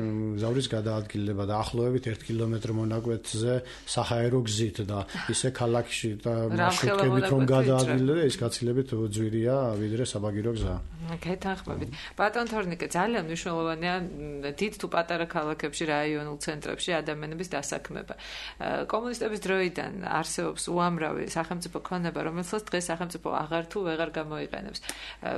მგზავრის გადაადგილება და ახლოვებით ერთ კილომეტრ მონაკვეთზე საჰაერო გზით და ისე ქალაქში და მარშრუტებით რომ გადაადგილდება, ის გაცილებით ძვირია ვიდრე საბაგირო გზა. გეთანხმებით. ბატონ თორნიკე, ძალიან მნიშვნელოვანია დიდ თუ პატარა ქალაქებში, რაიონულ ცენტრებში ადამიანების დასაქმება. კომუნისტების დროიდან არსებობს უამრავი სახელმწიფო ქონება, რომელსაც დღეს სახელმწიფო აღარ თუ ვეღარ გამოიყენებს.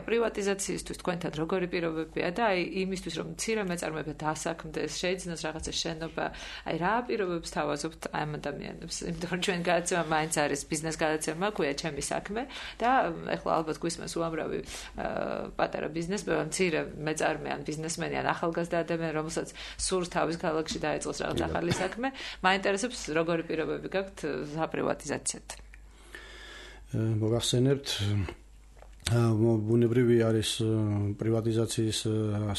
პრივატიზაციისთვის თქვენთან როგორი პირობებია და აი იმისთვის რომ მცირე მეწარმეები დასაქმდეს, შეიძინოს რაღაცა შენობა, აი რა პირობებს თავაზობთ ამ ადამიანებს? იმიტომ რომ ჩვენ გადაცემა მაინც არის ბიზნეს გადაცემა, ქვია ჩემი საქმე და ეხლა ალბათ გვისმენს უამრავი პატარა ბიზნესმენი, მცირე მეწარმე ან ბიზნესმენი ან ახალგაზრდა ადამიანი, რომელსაც სურს თავის ქალაქში დაეწყოს რაღაც ახალი საქმე, მაინტერესებს როგორი პირობები გაქვთ საპრივატიზაციად. მოგახსენებთ ბუნებრივი არის პრივატიზაციის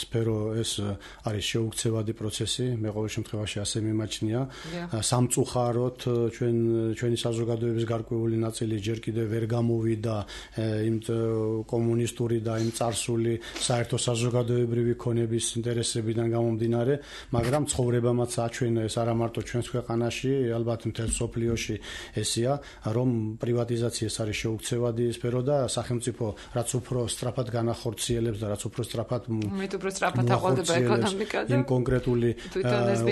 სფერო, ეს არის შეუქცევადი პროცესი, მე ყოველ შემთხვევაში ასე მიმაჩნია. სამწუხაროდ ჩვენ ჩვენი საზოგადოების გარკვეული ნაწილი ჯერ კიდევ ვერ გამოვიდა იმ კომუნისტური და იმ წარსული საერთო საზოგადოებრივი ქონების ინტერესებიდან გამომდინარე, მაგრამ ცხოვრებამაც აჩვენა ეს არა მარტო ჩვენს ქვეყანაში, ალბათ მთელ მსოფლიოში ესეა, რომ პრივატიზაცია ეს არის შეუქცევადი სფერო და სახელმწიფო რაც უფრო სწრაფად განახორციელებს და რაც უფრო სწრაფად მით უფრო სწრაფად აყალიბება ეკონომიკა და იმ კონკრეტული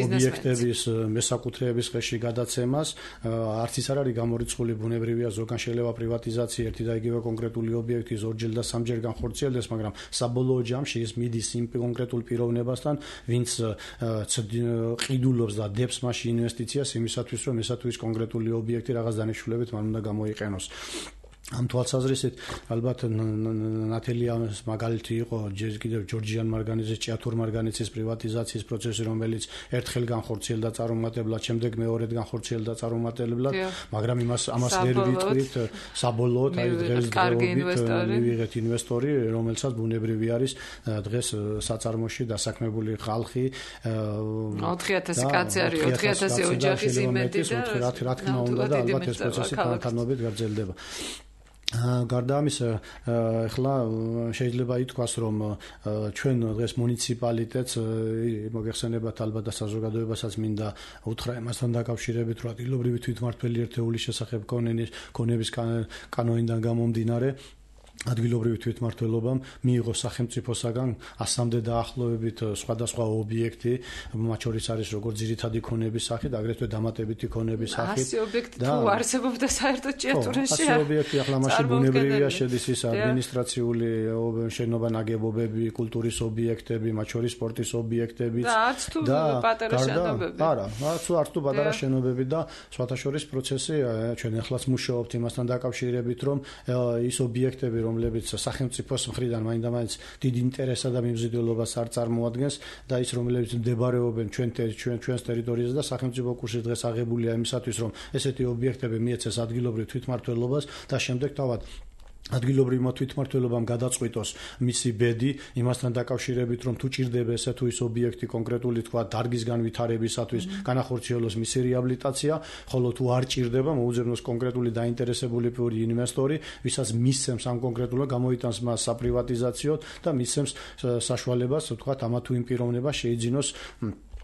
ობიექტების მესაკუთრეების ხელში გადაცემას, არც ის არ არის გამორიცხული ბუნებრივია, ზოგან შეიძლება პრივატიზაცია ერთი და იგივე კონკრეტული ობიექტი ორჯერ და სამჯერ განხორციელდეს, მაგრამ საბოლოო ჯამში ის მიდის იმ კონკრეტულ პიროვნებასთან, ვინც ყიდულობს და დებს მასში ინვესტიციას იმისათვის, რომ ესა თუ ის კონკრეტული ობიექტი რაღაც დანიშნულებით მან უნდა გამოიყენოს. ამ თვალსაზრისით ალბათ ნათელი ამის მაგალითი იყო ჯერ კიდევ ჯორჯიან მარგანეძის, ჭიათურ მარგანეცის პრივატიზაციის პროცესი, რომელიც ერთხელ განხორციელდა წარუმატებლად, შემდეგ მეორედ განხორციელდა წარუმატებლად, მაგრამ იმას ამას ვერ ვიტყვით საბოლოოდ, აი დღეს მივიღეთ ინვესტორი, რომელსაც ბუნებრივი არის დღეს საწარმოში დასაქმებული ხალხი ოთხი ათასი კაცი არის, ოთხი ათასი ოჯახის იმედი და რა თქმა უნდა და ალბათ ეს პროცესი თანხმობით გაგრძელდება. გარდა ამისა, ახლა შეიძლება ითქვას, რომ ჩვენ დღეს მუნიციპალიტეტს მოგეხსენებათ ალბათ და საზოგადოებასაც მინდა უთხრა იმასთან დაკავშირებით, რომ ადგილობრივი თვითმმართველი ერთეულის შესახებ ქონების კანონიდან გამომდინარე ადგილობრივი თვითმმართველობამ მიიღო სახელმწიფოსაგან ასამდე დაახლოებით სხვადასხვა ობიექტი, მათ შორის არის როგორც ძირითადი ქონების სახით, აგრეთვე დამატებითი ქონების სახით. ასი ობიექტი თუ არსებობდა საერთოდ ჭიათურაში? ასი ობიექტი ახლა მაშინ ბუნებრივია შედის ის ადმინისტრაციული შენობა ნაგებობები, კულტურის ობიექტები, მათ შორის სპორტის ობიექტები და არც თუ პატარა შენობები. არა, არც თუ პატარა შენობები და სხვათა შორის პროცესი ჩვენ ახლაც მუშაობთ იმასთან დაკავშირებით, რომ ის ობიექტები რომლებიც სახელმწიფოს მხრიდან მაინდა-მაინც დიდ ინტერესსა და მიმზიდველობას არ წარმოადგენს და ის რომლებიც მდებარეობენ ჩვენ ჩვენ ჩვენს ტერიტორიაზე და სახელმწიფო კურსში დღეს აღებულია იმისათვის, რომ ესეთი ობიექტები მიეცეს ადგილობრივ თვითმმართველობას და შემდეგ თავად ადგილობრივმა თვითმმართველობამ გადაწყვიტოს მისი ბედი იმასთან დაკავშირებით, რომ თუ ჭირდება ესე თუ ის ობიექტი კონკრეტული თქვა დარგის განვითარებისათვის განახორციელოს მისი რეაბილიტაცია, ხოლო თუ არ ჭირდება, მოუძებნოს კონკრეტული დაინტერესებული ინვესტორი, ვისაც მისცემს ამ კონკრეტულად გამოიტანს მას საპრივატიზაციოდ და მისცემს საშუალებას, თქვა ამა თუ იმ პიროვნებას შეიძინოს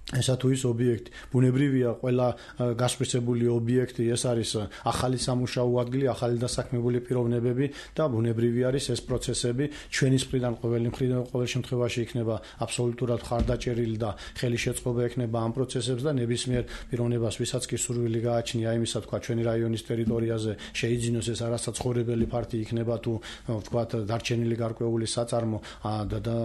ესა თუ ის ობიექტი. ბუნებრივია, ყველა გასხვისებული ობიექტი ეს არის ახალი სამუშაო ადგილი, ახალი დასაქმებული პიროვნებები და ბუნებრივი არის ეს პროცესები ჩვენის მხრიდან ყოველი მხრიდან ყოველ შემთხვევაში იქნება აბსოლუტურად ხარდაჭერილი და ხელი შეწყობა ექნება ამ პროცესებს და ნებისმიერ პიროვნებას, ვისაც კი სურვილი გააჩნია იმისა, თქვა ჩვენი რაიონის ტერიტორიაზე შეიძინოს ეს არასაცხოვრებელი ფართი იქნება თუ თქვა დარჩენილი გარკვეული საწარმო და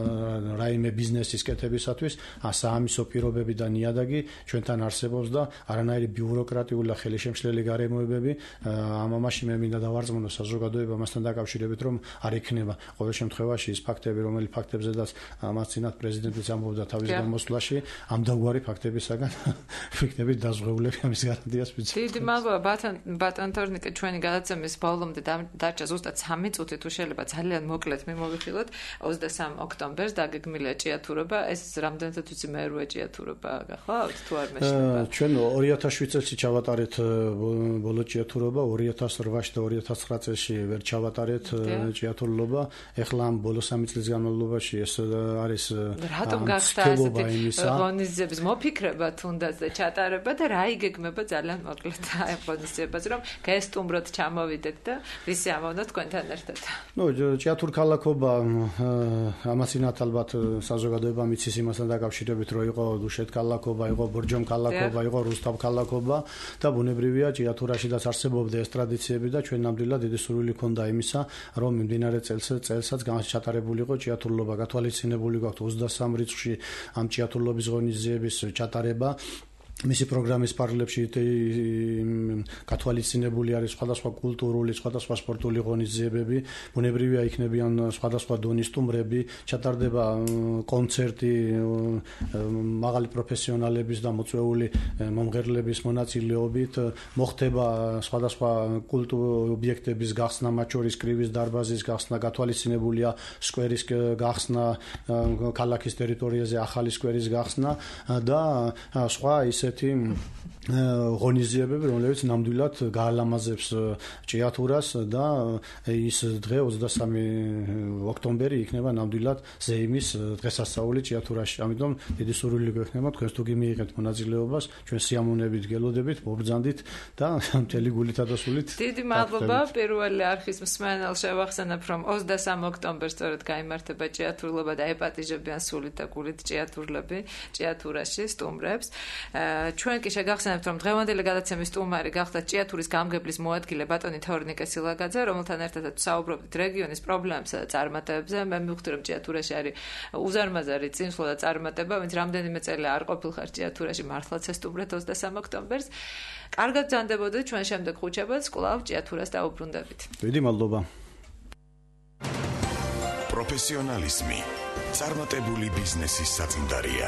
რაიმე ბიზნესის კეთებისათვის, საამისო პირობები გზნობები და ნიადაგი ჩვენთან არსებობს და არანაირი ბიუროკრატიული და ხელისშემშლელი გარემოებები ამ ამაში მე მინდა დავარწმუნო საზოგადოება მასთან დაკავშირებით, რომ არ იქნება ყოველ შემთხვევაში ის ფაქტები, რომელი ფაქტებზედაც ამას წინათ პრეზიდენტიც ამბობდა თავის გამოსვლაში, ამ დაგვარი ფაქტებისაგან ვიქნებით დაზღვეულები ამის გარანტიას ვიცით. დიდი მადლობა ბატონ თორნიკე, ჩვენი გადაცემის ბოლომდე დარჩა ზუსტად სამი წუთი, თუ შეიძლება ძალიან მოკლედ მიმოვიხილოთ. ოცდასამ ოქტომბერს დაგეგმილია ჭიათურობა, ეს რამდენადაც ვიცი მერვე ჭიათურობა გახლავთ თუ არ მეშინება? ჩვენ ორი ათას შვიდ წელს ჩავატარეთ ბოლო ჭიათურობა, ორი ათას ოთხ და ორი ათას ცხრა წელს ვერ ჩავატარეთ ჭიათურობა. ეხლა ამ ბოლო სამი წლის განმავლობაში ეს არის რატომ გახდა ასეთი ღონისძიების მოფიქრება თუნდაც და ჩატარება და რა იგეგმება ძალიან მოკლედ აი ღონისძიებას, რომ გესტუმროთ ჩამოვიდეთ და ვისი ამოვნოთ თქვენთან ერთად. ნუ ჭიათურ ქალაქობა ამასინათ ალბათ საზოგადოება მიცის იმასთან დაკავშირებით, რომ იყო დუშეთ ქალაქობა, იყო ბორჯომ ქალაქობა, იყო რუსთავ ქალაქობა და ბუნებრივია ჭიათურაშიდაც არსებობდა ეს ტრადიციები და ჩვენ ნამდვილად დიდი სურვილი ქონდა იმისა, რომ მიმდინარე წელს წელსაც ჩატარებული იყო ჭიათურობა, გათვალისწინებული გვაქვს ოცდასამ რიცხვში ამ ჭიათურობის ღონისძიების ჩატარება. მისი პროგრამის პარალელში გათვალისწინებული არის სხვადასხვა კულტურული, სხვადასხვა სპორტული ღონისძიებები, ბუნებრივია იქნებიან სხვადასხვა დონის სტუმრები, ჩატარდება კონცერტი მაღალი პროფესიონალების და მოწვეული მომღერლების მონაწილეობით, მოხდება სხვადასხვა კულტურული ობიექტების გახსნა, მათ შორის კრივის დარბაზის გახსნა, გათვალისწინებულია სკვერის გახსნა, ქალაქის ტერიტორიაზე ახალი სკვერის გახსნა და სხვა ის ესეთი ღონისძიებები, რომლებიც ნამდვილად გაალამაზებს ჭიათურას და ის დღე ოცდასამი ოქტომბერი იქნება ნამდვილად ზეიმის დღესასწაული ჭიათურაში. ამიტომ დიდი სურვილი გვექნება თქვენს თუ გიმიიღებთ მონაწილეობას, ჩვენ სიამოვნებით გელოდებით, მობრძანდით და მთელი გულითა და სულით. დიდი მადლობა. პირველი არხის მსმენელს შევახსენებ, რომ ოცდასამ ოქტომბერს სწორედ გაიმართება ჭიათურლობა და ეპატიჟებიან სულით და გულით ჭიათურლები ჭიათურაში სტუმრებს. ჩვენ კი შეგახსენებთ, რომ დღევანდელი გადაცემის სტუმარი გახდა ჭიათურის გამგებლის მოადგილე ბატონი თორნიკე სილაგაძე, რომელთან ერთადაც საუბრობთ რეგიონის პრობლემებსა და წარმატებებზე. მე მივხვდი, რომ ჭიათურაში არის უზარმაზარი წინსვლა და წარმატება, ვინც რამდენიმე წელი არ ყოფილხარ ჭიათურაში, მართლაც ესტუმრეთ ოცდასამ ოქტომბერს. კარგად ბრძანდებოდეთ ჩვენ შემდეგ ხუთშაბათს, კვლავ ჭიათურას დაუბრუნდებით. დიდი მადლობა. პროფესიონალიზმი წარმატებული ბიზნესის საწინდარია.